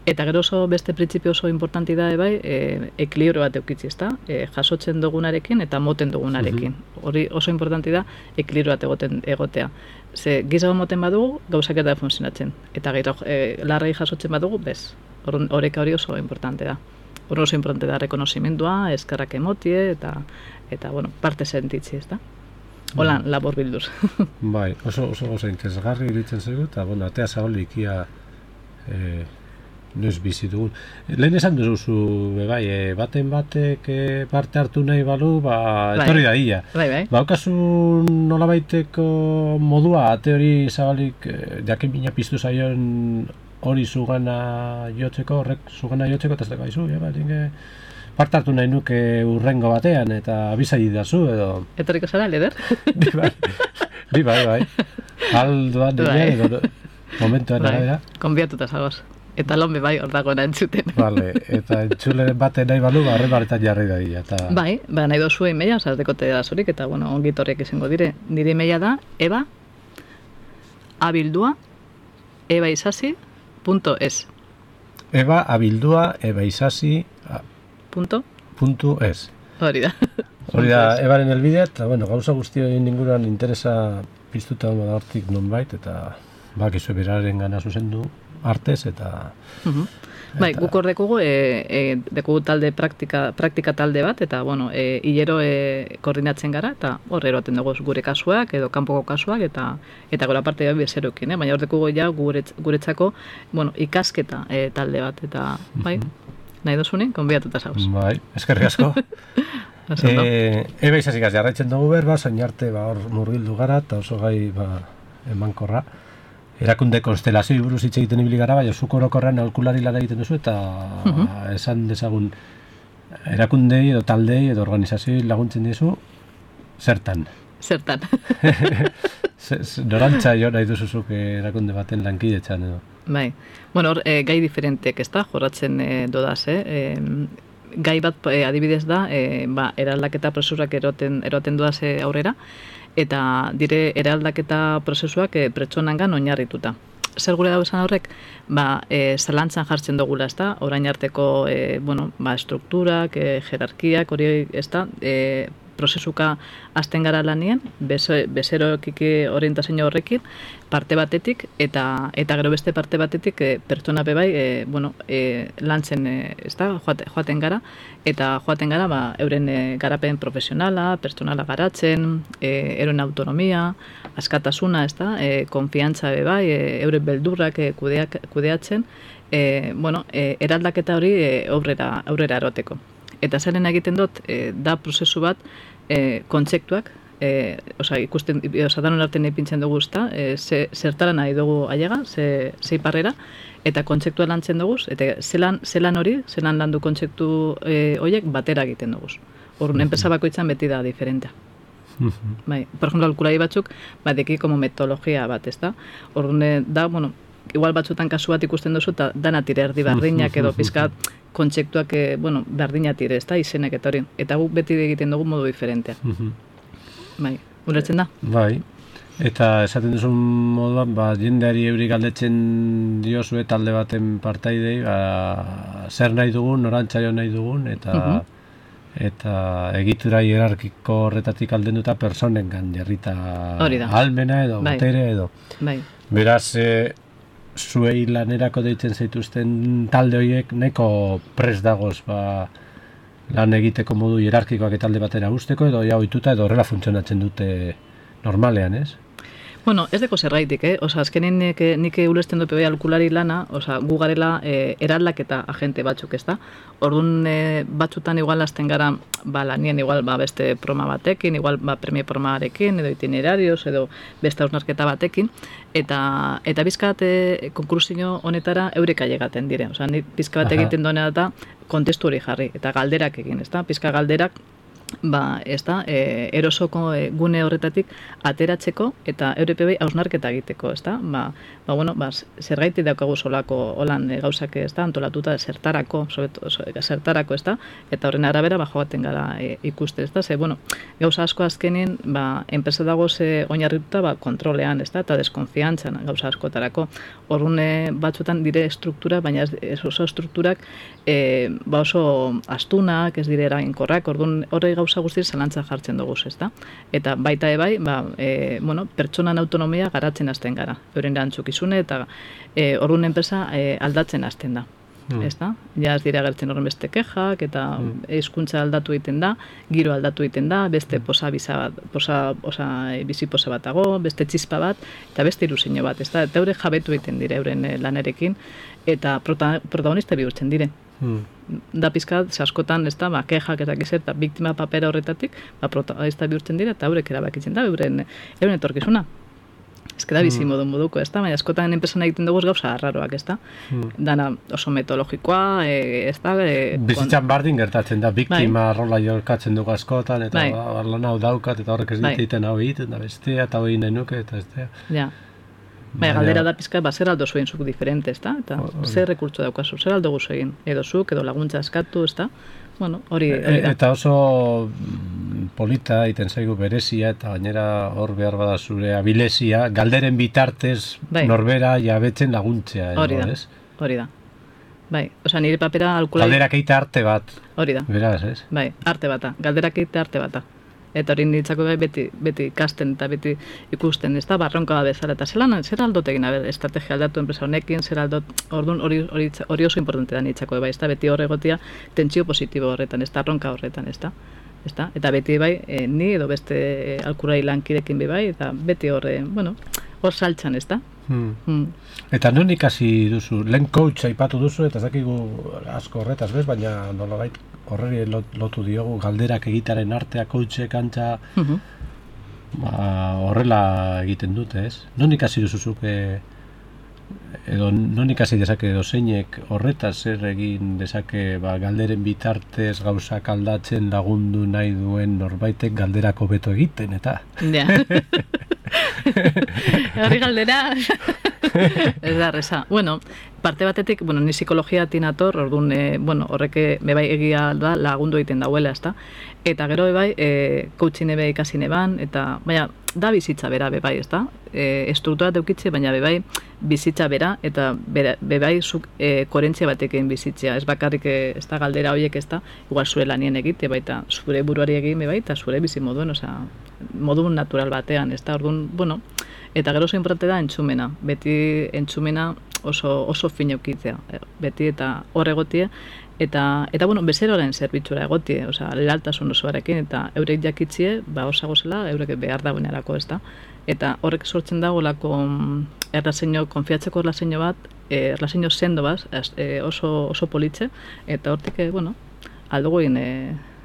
B: Eta gero oso beste printzipio oso importanti da, ekilibrio bat eukitzi, ez da? Jasotzen dugunarekin eta moten dugunarekin. Hori oso importanti da, ekilibrio bat egotea. Ze, gizago moten badugu, gauzak eta funtzionatzen. Eta gero, larrei jasotzen badugu, bez. Horeka hori oso importante da. Hori oso importante da, rekonozimendua, eskerrak emotie, eta parte sentitzi, ez da? Holan, labor bilduz.
A: Bai, oso interesgarri iritzen zaigu, eta, atea zagolik ia noiz bizi dugun. Lehen esan duzu, baten batek parte hartu nahi balu, etorri da ia.
B: Bai.
A: Baukazu nolabaiteko modua, ate hori zabalik, jakin bina piztu zaion hori zugana jotzeko, horrek zugana jotzeko, eta ez dago aizu, parte hartu nahi nuke urrengo batean, eta abizai dazu, edo...
B: Etorriko zara, Leder?
A: Bai. Aldoan dira, edo momentuan arabera.
B: Konbiatuta zagoz. Eta lonbe bai hor dagoena entzuten.
A: Vale, eta entzuleren baten nahi balu, horren baretan jarri da dira.
B: Bai, nahi dozu e-maila, dekote da zorik, eta ongi torriak izango dire. Nire e-maila da, eba@abildua ebaisasi.es.
A: Eba abildua ebaisasi.es.
B: Hori da.
A: Hori da, ebaren helbidea, eta bueno, gauza guztioen inguruan interesa piztuta da hortik nonbait, eta bakizue beraren gana zuzendu artez, eta...
B: Bai, guk hor dekugu, dekugu talde praktika talde bat, eta, bueno, hilero koordinatzen gara, eta hor eroaten dugu gure kasuak, edo kanpoko kasuak, eta gora parte bezerokin, baina hor dekugu ja guretzako, bueno, ikasketa talde bat, eta, bai, nahi dozunik, konbiatuta zauz.
A: Bai, eskerrik asko. Ebe izazikaz jarraitzen dugu berba, zain arte hor murgildu gara, eta oso gai emankorra. Erakunde konstelazioi buruz hitz egiten ibili gara, baina zuk orokorrean aholkulari lan egiten duzu, eta esan dezagun erakundei edo taldei edo organizazioi laguntzen dizu, zertan?
B: Zertan.
A: Norantza jo nahi duzuzuk erakunde baten lankidetzan edo?
B: Bai, bueno, hor, gai diferentek, ez da, jorratzen dodaz, gai bat adibidez da, eraldaketa prozesuak eroten dodaz aurrera, eta dire eraldaketa prozesuak pertsonangan oinarrituta. Zer gure dago esan horrek? Zalantzan jartzen dugula, ez da? Orain arteko, estrukturak, jerarkiak, hori, ez da? Prozesuka hasten gara lanien, bezerokiki orientazio horrekin, parte batetik, eta gero beste parte batetik pertsona bebai, lantzen, ez da, joaten gara, eta joaten gara, euren garapen profesionala, pertsonala garatzen, euren autonomia, askatasuna, ez da, konfiantza bebai, euren beldurrak kudeatzen, eraldaketa hori aurrera eroteko. Eta zeren egiten dut, da prozesu bat, kontzeptuak, ikusten, danon artean ipintzen dugu, zertara nahi dugu ailega, zei parrera, eta kontzeptua lantzen dugu, eta zelan hori, zelan landu kontzeptu horiek batera egiten dugu. Horren, enpresa bakoitzan beti da diferentea. Bai, por ejemplo, aholkulari batzuk, deki como metodologia bat, ez da? Horren, da, bueno, igual batzutan kasu bat ikusten duzu, eta dana tire erdi berdinak edo pizkat kontzeptuak, berdina tire, ez da, izenek eta hori. Eta guk beti egiten dugu modu diferentea. Bai, ulertzen da?
A: Bai, eta esaten duzun moduan, jendeari eurik galdetzen diozue talde baten partaidei, zer nahi dugun, norantzaio nahi dugun, eta egitura hierarkiko horretatik aldenduta personengan jarrita almena edo botere edo. Beraz, zuei lanerako deitzen zaituzten talde horiek nahiko prest dagoz lan egiteko modu hierarkikoak talde batera usteko edo ja ohituta edo horrela funtzionatzen dute normalean, ez?
B: Bueno, ez deko zerraitik, azkenin nik ulertzen dut aholkulari lana, gu garela eraldaketa agente batzuk, ez da? Orduan batzutan igual hasten gara lanien igual beste programa batekin, igual premio programarekin, edo itinerarios, edo beste hausnarketa batekin, eta bizkat konklusio honetara eureka llegaten dire. Nik bizka bat egiten duena da kontestu hori jarri, eta galderak egin, ez da? Bizka galderak ez da, erosoko gune horretatik ateratzeko eta EURPB hausnarketa egiteko, ez da? Zergaiti daukagu solako holan gauzak, ez da, antolatuta zertarako, ez da? Eta horren arabera, joaten gara ikuste, ez da? Gauza asko azkenin, enpresa dagoz oinarrituta kontrolean, ez da? Eta deskonfiantzan gauza askotarako. Horren batzutan dire struktura, baina ez oso strukturak oso astunak, ez dire eraginkorrak, horre gauza guztiz zalantza jartzen dugu, ez da? Eta baita ebai, pertsonan autonomia garatzen hasten gara. Euren erantzukizune eta horren enpresa aldatzen hasten da. Ez da? Ja ez dira gertzen horren beste kexak, eta hizkuntza aldatu egiten da, giro aldatu egiten da, beste bizi posa bat dago, beste txispa bat, eta beste ilusiño bat, ez da? Eta eure jabetu egiten dire euren lanerekin, eta protagonista bihurtzen dire. Da pizkat, askotan, ez da, kexak ez dakiz, eta biktima papera horretatik, protagonista bihurtzen dira, eta eurek erabakitzen da, euren etorkizuna. Ez da bizi moduko, ez da, baina askotan enpresan egiten dugu gauza arraroak, ez da. Dana oso metodologikoa, ez da.
A: Bizitzan bardin gertatzen da, biktima rola jorkatzen dugu askotan, eta lan hau daukat, eta horrek ez dititen hau egiten, da bestea, eta hori nahi nuke, eta ez da.
B: Ja. Baina galdera da pizka, zer aldo zuen zuk diferente, ez da? Eta zer rekurtso daukazu, zer aldo guzu egin? Edo zuk, edo laguntza eskatu, ez da? Bueno, hori da.
A: Eta oso polita iten zaigu berezia, eta gainera hor behar bada zure abilezia, galderen bitartez norbera jabetzen laguntzea.
B: Hori da, hori da. Bai, osea, nire papera alkulai...
A: Galderak eite arte bat.
B: Hori da.
A: Beraz, ez?
B: Bai, arte bata. Galderak eite arte bata. Eta hori niretzako bai beti ikasten eta beti ikusten, ez da, barronka da bezala. Eta zer aldot egin, estrategia aldatu enpresa honekin, zer aldot, orduan hori oso importante da niretzako bai, ez da, beti horregotia tentsio positibo horretan, ez da, arronka horretan, ez da. Eta beti bai, ni edo beste alkurai lankidekin bai, eta beti hor saltxan, ez da.
A: Eta non ikasi duzu, lehen coach aipatu duzu, eta ez dakigu asko horretaz, bez? Baina nolabait horreri lotu diogu galderak egitaren artea, coachek antza, horrela egiten dute, ez? Non ikasi duzuzuk, edo non ikasi dezake dozeinek horretaz zer egin dezake galderen bitartez gauzak aldatzen lagundu nahi duen norbaitek galderako beto egiten, eta?
B: Ja. Hori galdera ez da reza. Bueno, parte batetik, ni psikologia tinator, orduan, horrek bai egia da lagundu egiten dauela, ezta? Eta gero bai, coaching ebe ikasi neban, eta baina da bizitza bera bai, ezta? Estruktura teukitze, baina bai bizitza bera, eta bai zuk koherentzia batekin bizitzea, ez bakarrik ez da galdera horiek, ez da, igual zure lanien egite, baita zure buruari egin bai, eta zure bizi moduen, osea, modu natural batean, ez da, orduan, eta gero oso importante da entzumena, beti entzumena oso fin eukitzea, beti eta hor egotie, eta bezeroaren zerbitzura egotie, osea, lealtasun osoarekin, eta eurek jakitzie, osago zela, eurek behar dagoenerako, ez da, eta horrek sortzen dagoelako konfiatzeko erlazeino bat, erlazeino sendo bat, oso politxe, eta hortik, aldugu egin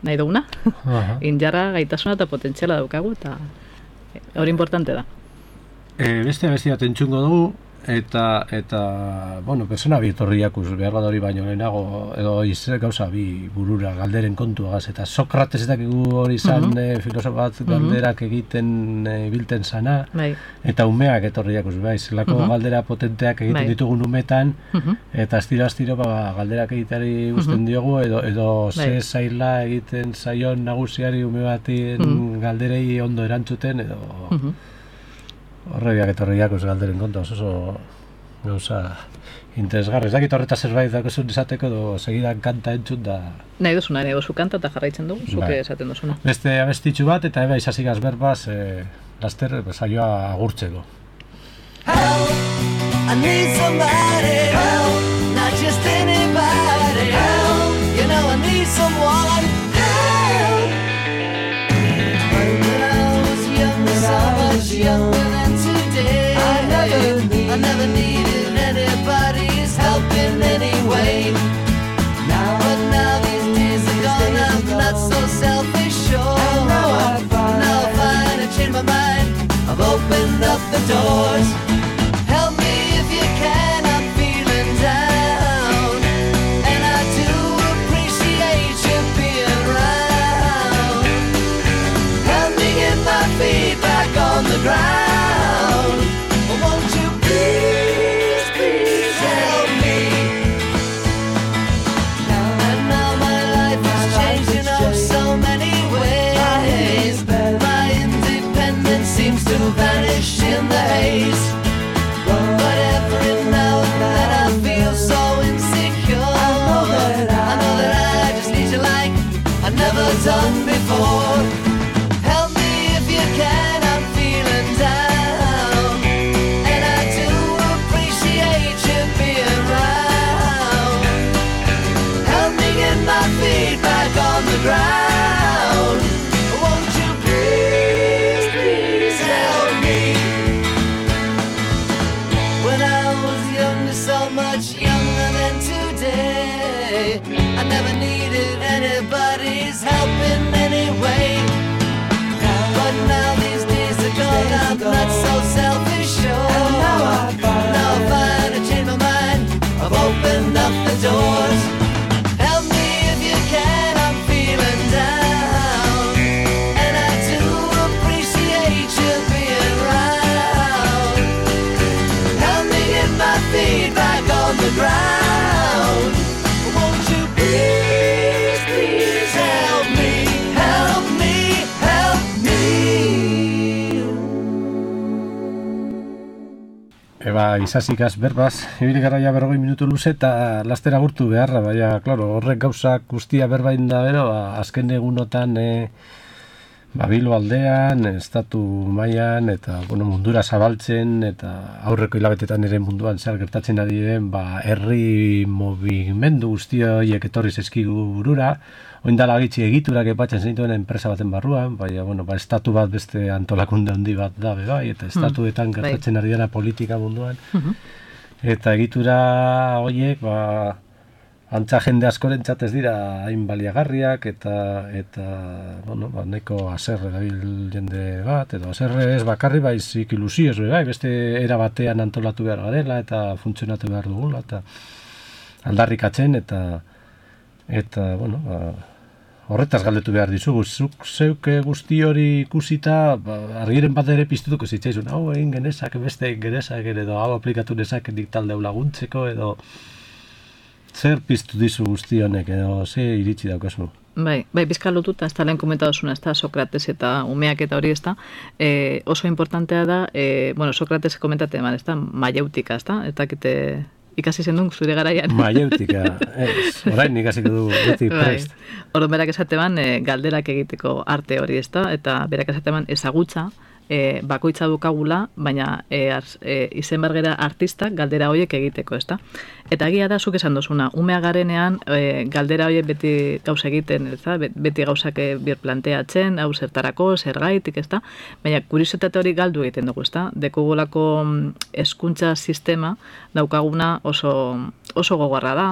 B: nahi duguna, injarra gaitasuna eta potentziala daukagu, eta hori importante da.
A: Beste bat entzungo dugu, eta persona bi etorriakuz, behar bat hori baino lehenago, edo gauza bi burura galderen kontuagaz, eta Sokrates eta hori zan filosof bat galderak egiten bilten zana, eta umeak etorriakuz, zelako galdera potenteak egiten ditugun umetan, eta astiro galderak egiteari guzten diogu, edo ze zaila egiten zaion nagusiari ume batien galderei ondo erantzuten, edo... Horrebiak etorriakuz galderen konta, oso gauza interesgarri. Ez dakit horretaz zerbait dakozun izateko edo segidan kanta entzut da...
B: Nahi duzuna, nahi duzu kanta eta jarraitzen dugu, zuke esaten duzuna.
A: Beste abestitxu bat eta eba izazigaz berbaz laster saioa agurtzeko.
D: Help, I need somebody, help, not just anybody, help, you know I need someone, help. When I was younger, so much younger than today, I never needed anybody's help in any way. But now these days are gone, I'm not so selfish, sure. Now I find I changed my mind, I've opened up the doors. Help me if you can, I'm feeling down, and I do appreciate you being around. Help me get my feet back on the ground. Won't you please, please help me? And now my life has changed in so many ways. My independence seems to vanish in the haze. But every now and then I feel so insecure. I know that I just need you like I've never done before. Help me if you can, I'm feeling down, and I do appreciate you being around. Help me get my feet back on the ground. Won't you please, please help me? When I was younger, so much younger than today, I never needed anybody's help in any way.
A: izazikaz berbaz, ibili gara ja 40 minutu luze eta lastera gurtu beharra, baina, klaro, horrek gauzak guztia berbain da bero, azken egunotan Bilbo aldean, estatu mailan eta mundura zabaltzen eta aurreko hilabetetan ere munduan zer gertatzen ari diren herri movimendu guzti horiek etorri zaizkigu burura, oindala gitxi egiturak epatzen zenituen enpresa baten barruan, baina estatu bat beste antolakunde handi bat da bai, eta estatuetan gertatzen ari dena politika munduan, eta egitura horiek antza jende askorentzat ez dira hain baliagarriak eta nahiko haserre dabil jende bat, edo haserre ez bakarri baizik ilusioz bai, beste era batean antolatu behar garela eta funtzionatu behar dugula eta aldarrikatzen eta horretaz galdetu behar dizugu, zuk zeuke guzti hori ikusita, argiren bat ere piztutuko zitzaizun, hau egin genezak, beste egin genezak, edo hau aplikatu nezak dik talde laguntzeko, edo zer piztu dizu guzti honek, edo ze iritsi daukazu?
B: Bai, bizka lotuta, ez da lehen komentadozuna, ez da Sokrates eta umeak eta hori ez da, oso importantea da, Sokrates komentate eman, ez da, maieutika, ez da, eta ikasi zen duen zure garaian.
A: Maieutika, orain ikasiko du beti prest.
B: Orduan berak esateban galderak egiteko arte hori ez da, eta berak esateban ezagutza, bakoitza dukagula, baina izen bargera artistak galdera horiek egiteko, ezta? Eta egia da, zuk esan dozuna, umea garenean galdera horiek beti gauza egiten, ezta? Beti gauzak birplanteatzen, hau zertarako, zergaitik, ezta? Baina kuriositate hori galdu egiten dugu, ezta? Dekugulako hezkuntza sistema daukaguna oso gogorra da,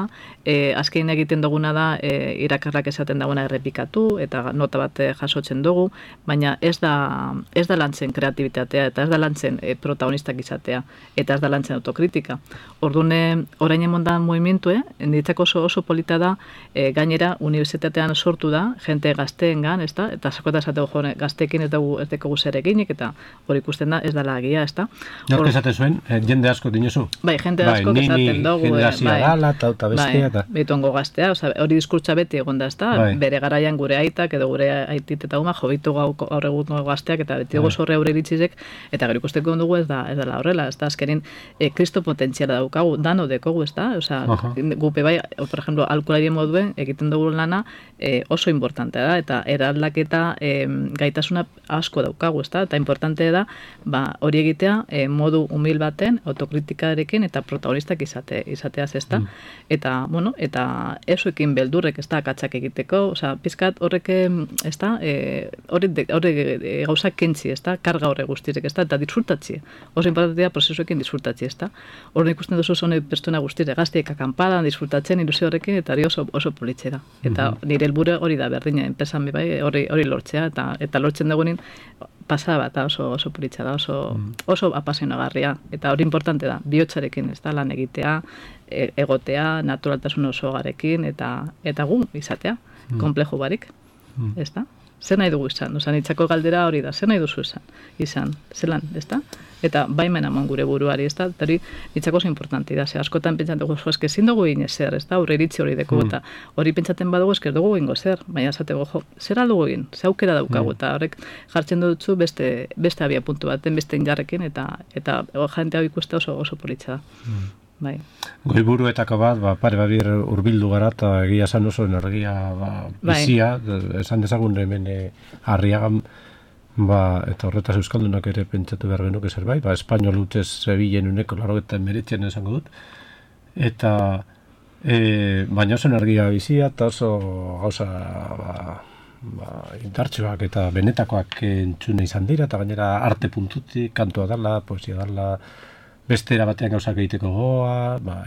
B: azkein egiten duguna da irakarrak esaten dagoena errepikatu, eta nota bat jasotzen dugu, baina ez da lantzen kreatibitatea, eta ez da lantzen protagonistak izatea, eta ez da lantzen autokritika. Orduan, orain emondan movimentu, niretzako oso polita da, gainera, unibertsitatean sortu da, jente gazteengan, ez da, eta sakota esateko gazteekin ez dugu zer eginik, eta hori ikusten da, ez da lagia, ez da.
A: Nork esaten zuen, jende asko dinozu?
B: Bai, jende asko esaten dugu.
A: Generazioa gala, eta bestea, eta...
B: Betongo gaztea, hori diskurtsa beti egon da, ez da, bere garaian gure aitak, edo gure aitit eta uma, jobitu gaur egungo gazteak, eta beti dugu zorre aurre iritzizek, eta gero ikusteko dugu ez da horrela, ez da, azkenin, kristo potentziala daukagu, dano dekogu, ez da, gupe bai, por ejemplo, alkoholari moduen, egiten dugu lana, oso importantea da, eta eraldaketa gaitasuna asko daukagu, ez da, eta importantea da, hori egitea, modu humil baten, autokritikarekin, eta protagonistak izateaz, ez da, eta, eta esuekin beldurrek, ez da, akatsak egiteko, pizkat horrek, ez da, horrek gauzak kentzi, ez da, karga horre guztirek, ez da, eta disfrutatzi. Oso importantea prozesuekin disfrutatzi, ez da. Horren ikusten duzu zone pertsona guztire, gazteek akampadan, disfrutatzen, ilusio horrekin, eta hori oso politxe da. Eta nire helburu hori da, berdina, enpesan bai, hori lortzea, eta lortzen dugunin, pasaba, eta oso politxa da, oso apasionagarria, eta hori importante da, bihotzarekin, ez da, lan egitea, egotea, naturaltasun oso garekin, eta gu izatea, komplejo barik, ez da? Zer nahi dugu izan? Nitzako galdera hori da, zer nahi duzu izan, zelan, ez da? Eta baimen amon gure buruari, ez da? Eta hori nitzako oso importanti da, askotan pentsatzen dugu, eske ezin dugu egin ezer, ez da? Aurre iritzi hori deko, eta hori pentsatzen badugu esker dugu egingo zer, baina esateko, zer aldugu egin, ze aukera daukagu, eta horrek jartzen dutzu beste abia puntu baten, beste indarrekin, eta jente hau ikuste oso politxa da. Bai.
A: Goiburuetako bat, pare babir urbildu gara, eta egia esan oso energia bizia, esan dezagun hemen Arriagan, eta horretaz euskaldunak ere pentsatu behar genuke zerbait, espainol utez Sevillen uneko 89 esango dut, eta baina oso energia bizia, eta oso gauza indartsuak eta benetakoak entzune izan dira, eta gainera arte puntutik, kantua dala, poesia dala, beste erabatean gauzak egiteko goa,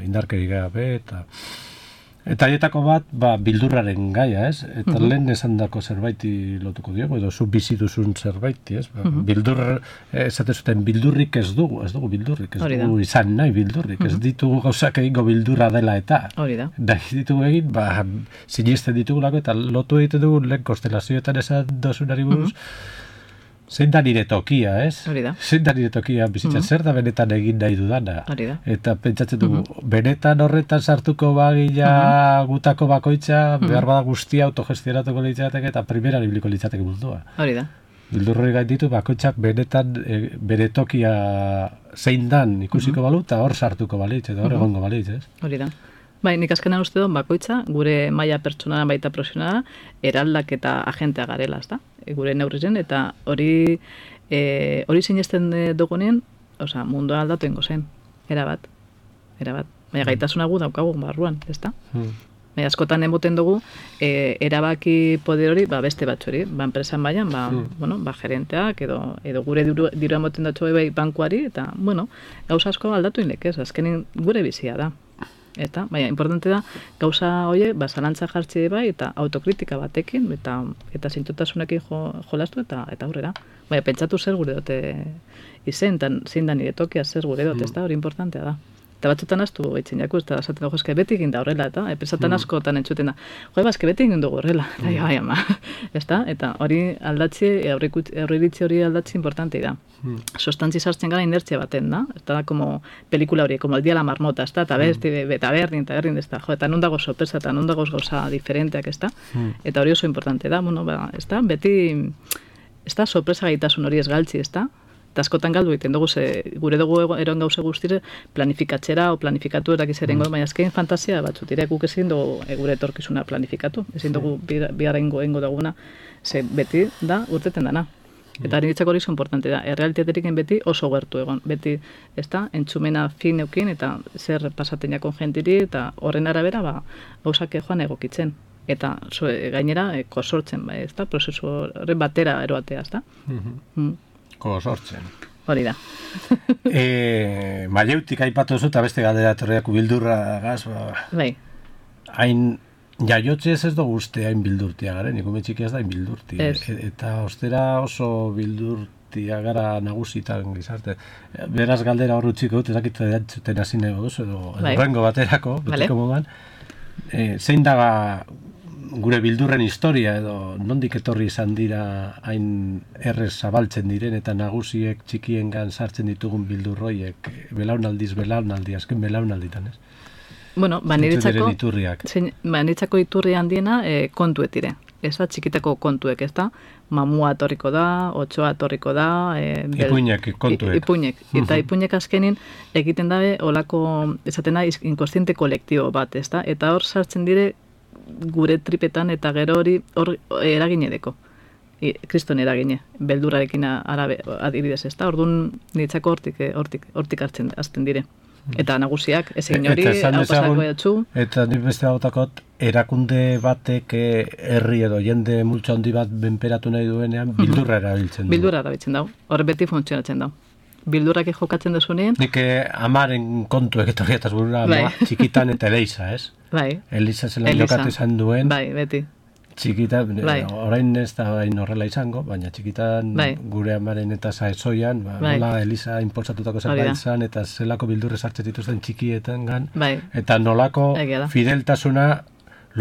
A: indarkeri gabe, eta haietako bat, bildurraren gaia, ez? Eta lehen esan dako zerbaiti lotuko diogu, edo zu bizi duzun zerbaiti, ez? Esate zuten, bildurrik ez dugu bildurrik, ez dugu izan nahi bildurrik, ez ditugu gauzak egingo bildurra dela eta.
B: Hori da.
A: Da ditugu egin, sinesten ditugulako, eta lotu egiten dugu lehen konstelazioetan esan dozunari buruz, zein da nire tokia, ez?
B: Hori da.
A: Zein da nire tokia bizitzen, zer da benetan egin nahi dudana?
B: Hori da.
A: Eta pentsatzen dugu, benetan horretan sartuko bagila gutako bakoitza, behar bada guztia autogestionatuko litzateke eta primeran ibliko litzateke mundua.
B: Hori da.
A: Bildurroi gainditu bakoitzak benetan bere tokia zein dan ikusiko balu, eta hor sartuko balitz, edo hor egongo balitz, ez?
B: Hori da. Bai, nik azkenan uste dut bakoitza, gure maila pertsonala baita profesionala, eraldak eta agentea garela, ez da? Gure neurrizen, eta hori sinesten dugunean, osea, mundua aldatu ingo zen, erabat. Baina gaitasuna gu daukagu barruan, ez da? Baina askotan emoten dugu, erabaki poder hori, beste batxori, enpresan baian, gerenteak, edo gure diru emoten datxo bai bankuari, eta, gauza asko aldatu inlek, ez? Azkenin gure bizia da. Eta, baina, importante da, gauza hoie, zalantza jartzi bai, eta autokritika batekin, eta zintotasunekin jolastu, eta aurrera. Baina, pentsatu zer gure dote izen, eta zein da nire tokia zer gure dote, ez da, hori importantea da. Eta batzutan astu eitzen jaku, eta esaten dugu, eske beti egin da horrela, eta pesatan askotan entzuten da, eske beti egin dugu horrela, eta ama, ez da? Eta hori aldatzi, aurreiritzi hori aldatzi importantei da. Sostantzi sartzen gara inertzia baten, da? Eta da, como pelikula hori, como el dia la marmota, ez da? Eta berdin, ez da? Eta non dago sorpresa, eta non dago gauza diferenteak, ez da? Eta hori oso importante da, ez da? Beti, ez da, sorpresa gaitasun hori ez galtzi, ez da? Eta askotan galdu egiten dugu, gure dugu eroen gauze guztire planifikatzera o planifikatu erakiz erengo, baina azkein fantasia batzut, guk ezin dugu gure etorkizuna planifikatu, ezin dugu biharra ingo duguna, beti da urteten dana. Eta niretzako hori importante da, errealitaterik beti oso gertu egon, beti ez da, entzumena fin eukin, eta zer pasaten jakon jentiri, eta horren arabera gauzak joan egokitzen. Eta gainera kosortzen, ez da, prozesu horren batera eroatea, ez da?
A: Sortzen.
B: Hori da.
A: Maieutik aipatu zu, eta beste galdera etorriak bildurra gaz,
B: bai.
A: Hain jaiotzez ez dugu uste hain bildurtia garen, ikume txiki ez da hain bildurtia. Eta ostera oso bildurtia gara nagusitan gizarte. Beraz galdera hor utziko dut, ezakit erantzuten hasi nahi duzu, edo rengo baterako, betiko moduan. Zein daga gure bildurren historia, edo nondik etorri izan dira hain errez zabaltzen diren, eta nagusiek txikiengan sartzen ditugun bildurroiek, belaunaldi, azken belaunalditan, ez?
B: Bueno, niretzako iturri handiena kontuetire. Ez da, txikitako kontuek, ez da? Mamua etorriko da, otsoa etorriko da...
A: Ipuinek, kontuek.
B: Ipuinek. Eta ipuinek azkenin egiten dabe olako, esaten da, inkonstiente kolektibo bat, ez da? Eta hor sartzen dire gure tripetan, eta gero hori hor eragine deko. Kriston eragine, beldurarekin adibidez, ez da? Orduan niretzako hortik hartzen azten dire. Eta nagusiak, ez egin hori, hau pasako jatzu.
A: Eta nik beste bautakot, erakunde batek herri edo jende multzo handi bat benperatu nahi duenean, bildurra erabiltzen du.
B: Bildurra erabiltzen dau, hor beti funtzionatzen dau. Bildurrak jokatzen desunean.
A: Nik amaren kontuek etorriataz burura, txikitan eta Elisa, ez?
B: Bai.
A: Elisa zela jokatu izan duen.
B: Bai, beti.
A: Txikitan, orain ez da horrela izango, baina txikitan gure amaren eta zaezoian, nola Elisa inpolsatutako zerbait izan, eta zelako bildurre sartzen dituzten txikietan gan, eta nolako fideltasuna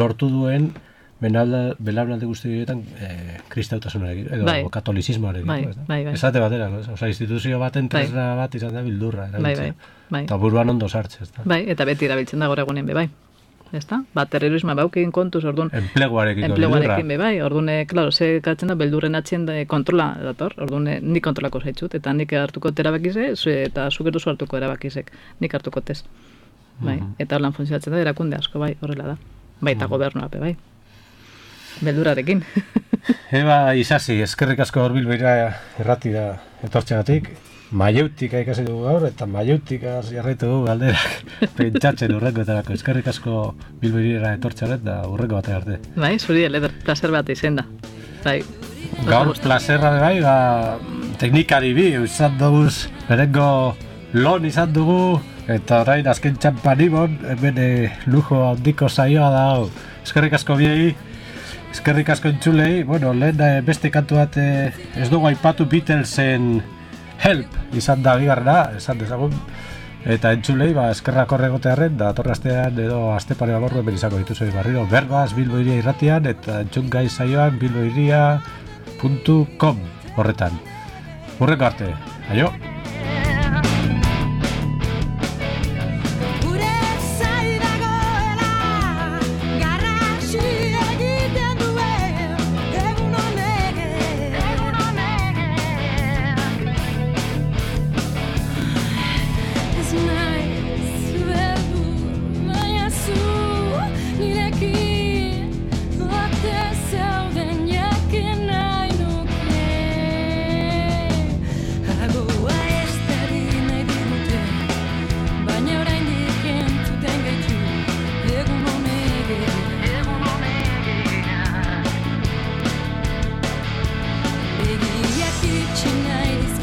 A: lortu duen belaunaldi guzti horietan kristautasunarekin, edo katolizismoarekin. Esate batera, instituzio baten tresna bat izan da bildurra, eta buruan ondo sartzen.
B: Bai, eta beti erabiltzen da gaur egunen bebai. Ezta? Terrorismoa baukein kontuz, orduan...
A: Enpleguarekin
B: bebai, orduan, klaro, ze katzen da, beldurren atzien kontrola dator, orduan, nik kontrolako zaitzut, eta nik hartuko erabakize, eta zugeru zu hartuko erabakizek, nik hartuko tez. Bai, eta horlan funtzionatzen da, erakunde asko, bai, horrela da. Bai, eta gobernua, bai. Beldurarekin.
A: Eba, Isasi, eskerrik asko hor Bilboira erratira etortxegatik. Maieutik ikasi dugu gaur, eta Maieutik jarraitu dugu galderak pentsatzen urrengoetarako. Eskerrik asko Bilboira etortxaret, da urrengo bat arte.
B: Bai, zuri, leder, placer bat izen da. Bai.
A: Gaur, plazerra bai, teknikari bi, izan duguz, berengo lon izan dugu, eta orain azken txampanibon, hemen lujo handiko saioa da hau. Eskerrik asko biei, eskerrik asko entzulei, bueno, lehen beste kantu bat ez dugu aipatu Beatlesen Help izan da bigarrena, esan dezagun, eta entzulei, eskerrak horregotearen, da atorrastean edo astepare balorru hemen izango dituzei barriro, berbaz, Bilboiria irratian, eta entzungai saioan bilboiria.com horretan. Hurrengo arte, aio!
E: Begiak itxi nahi dizkizut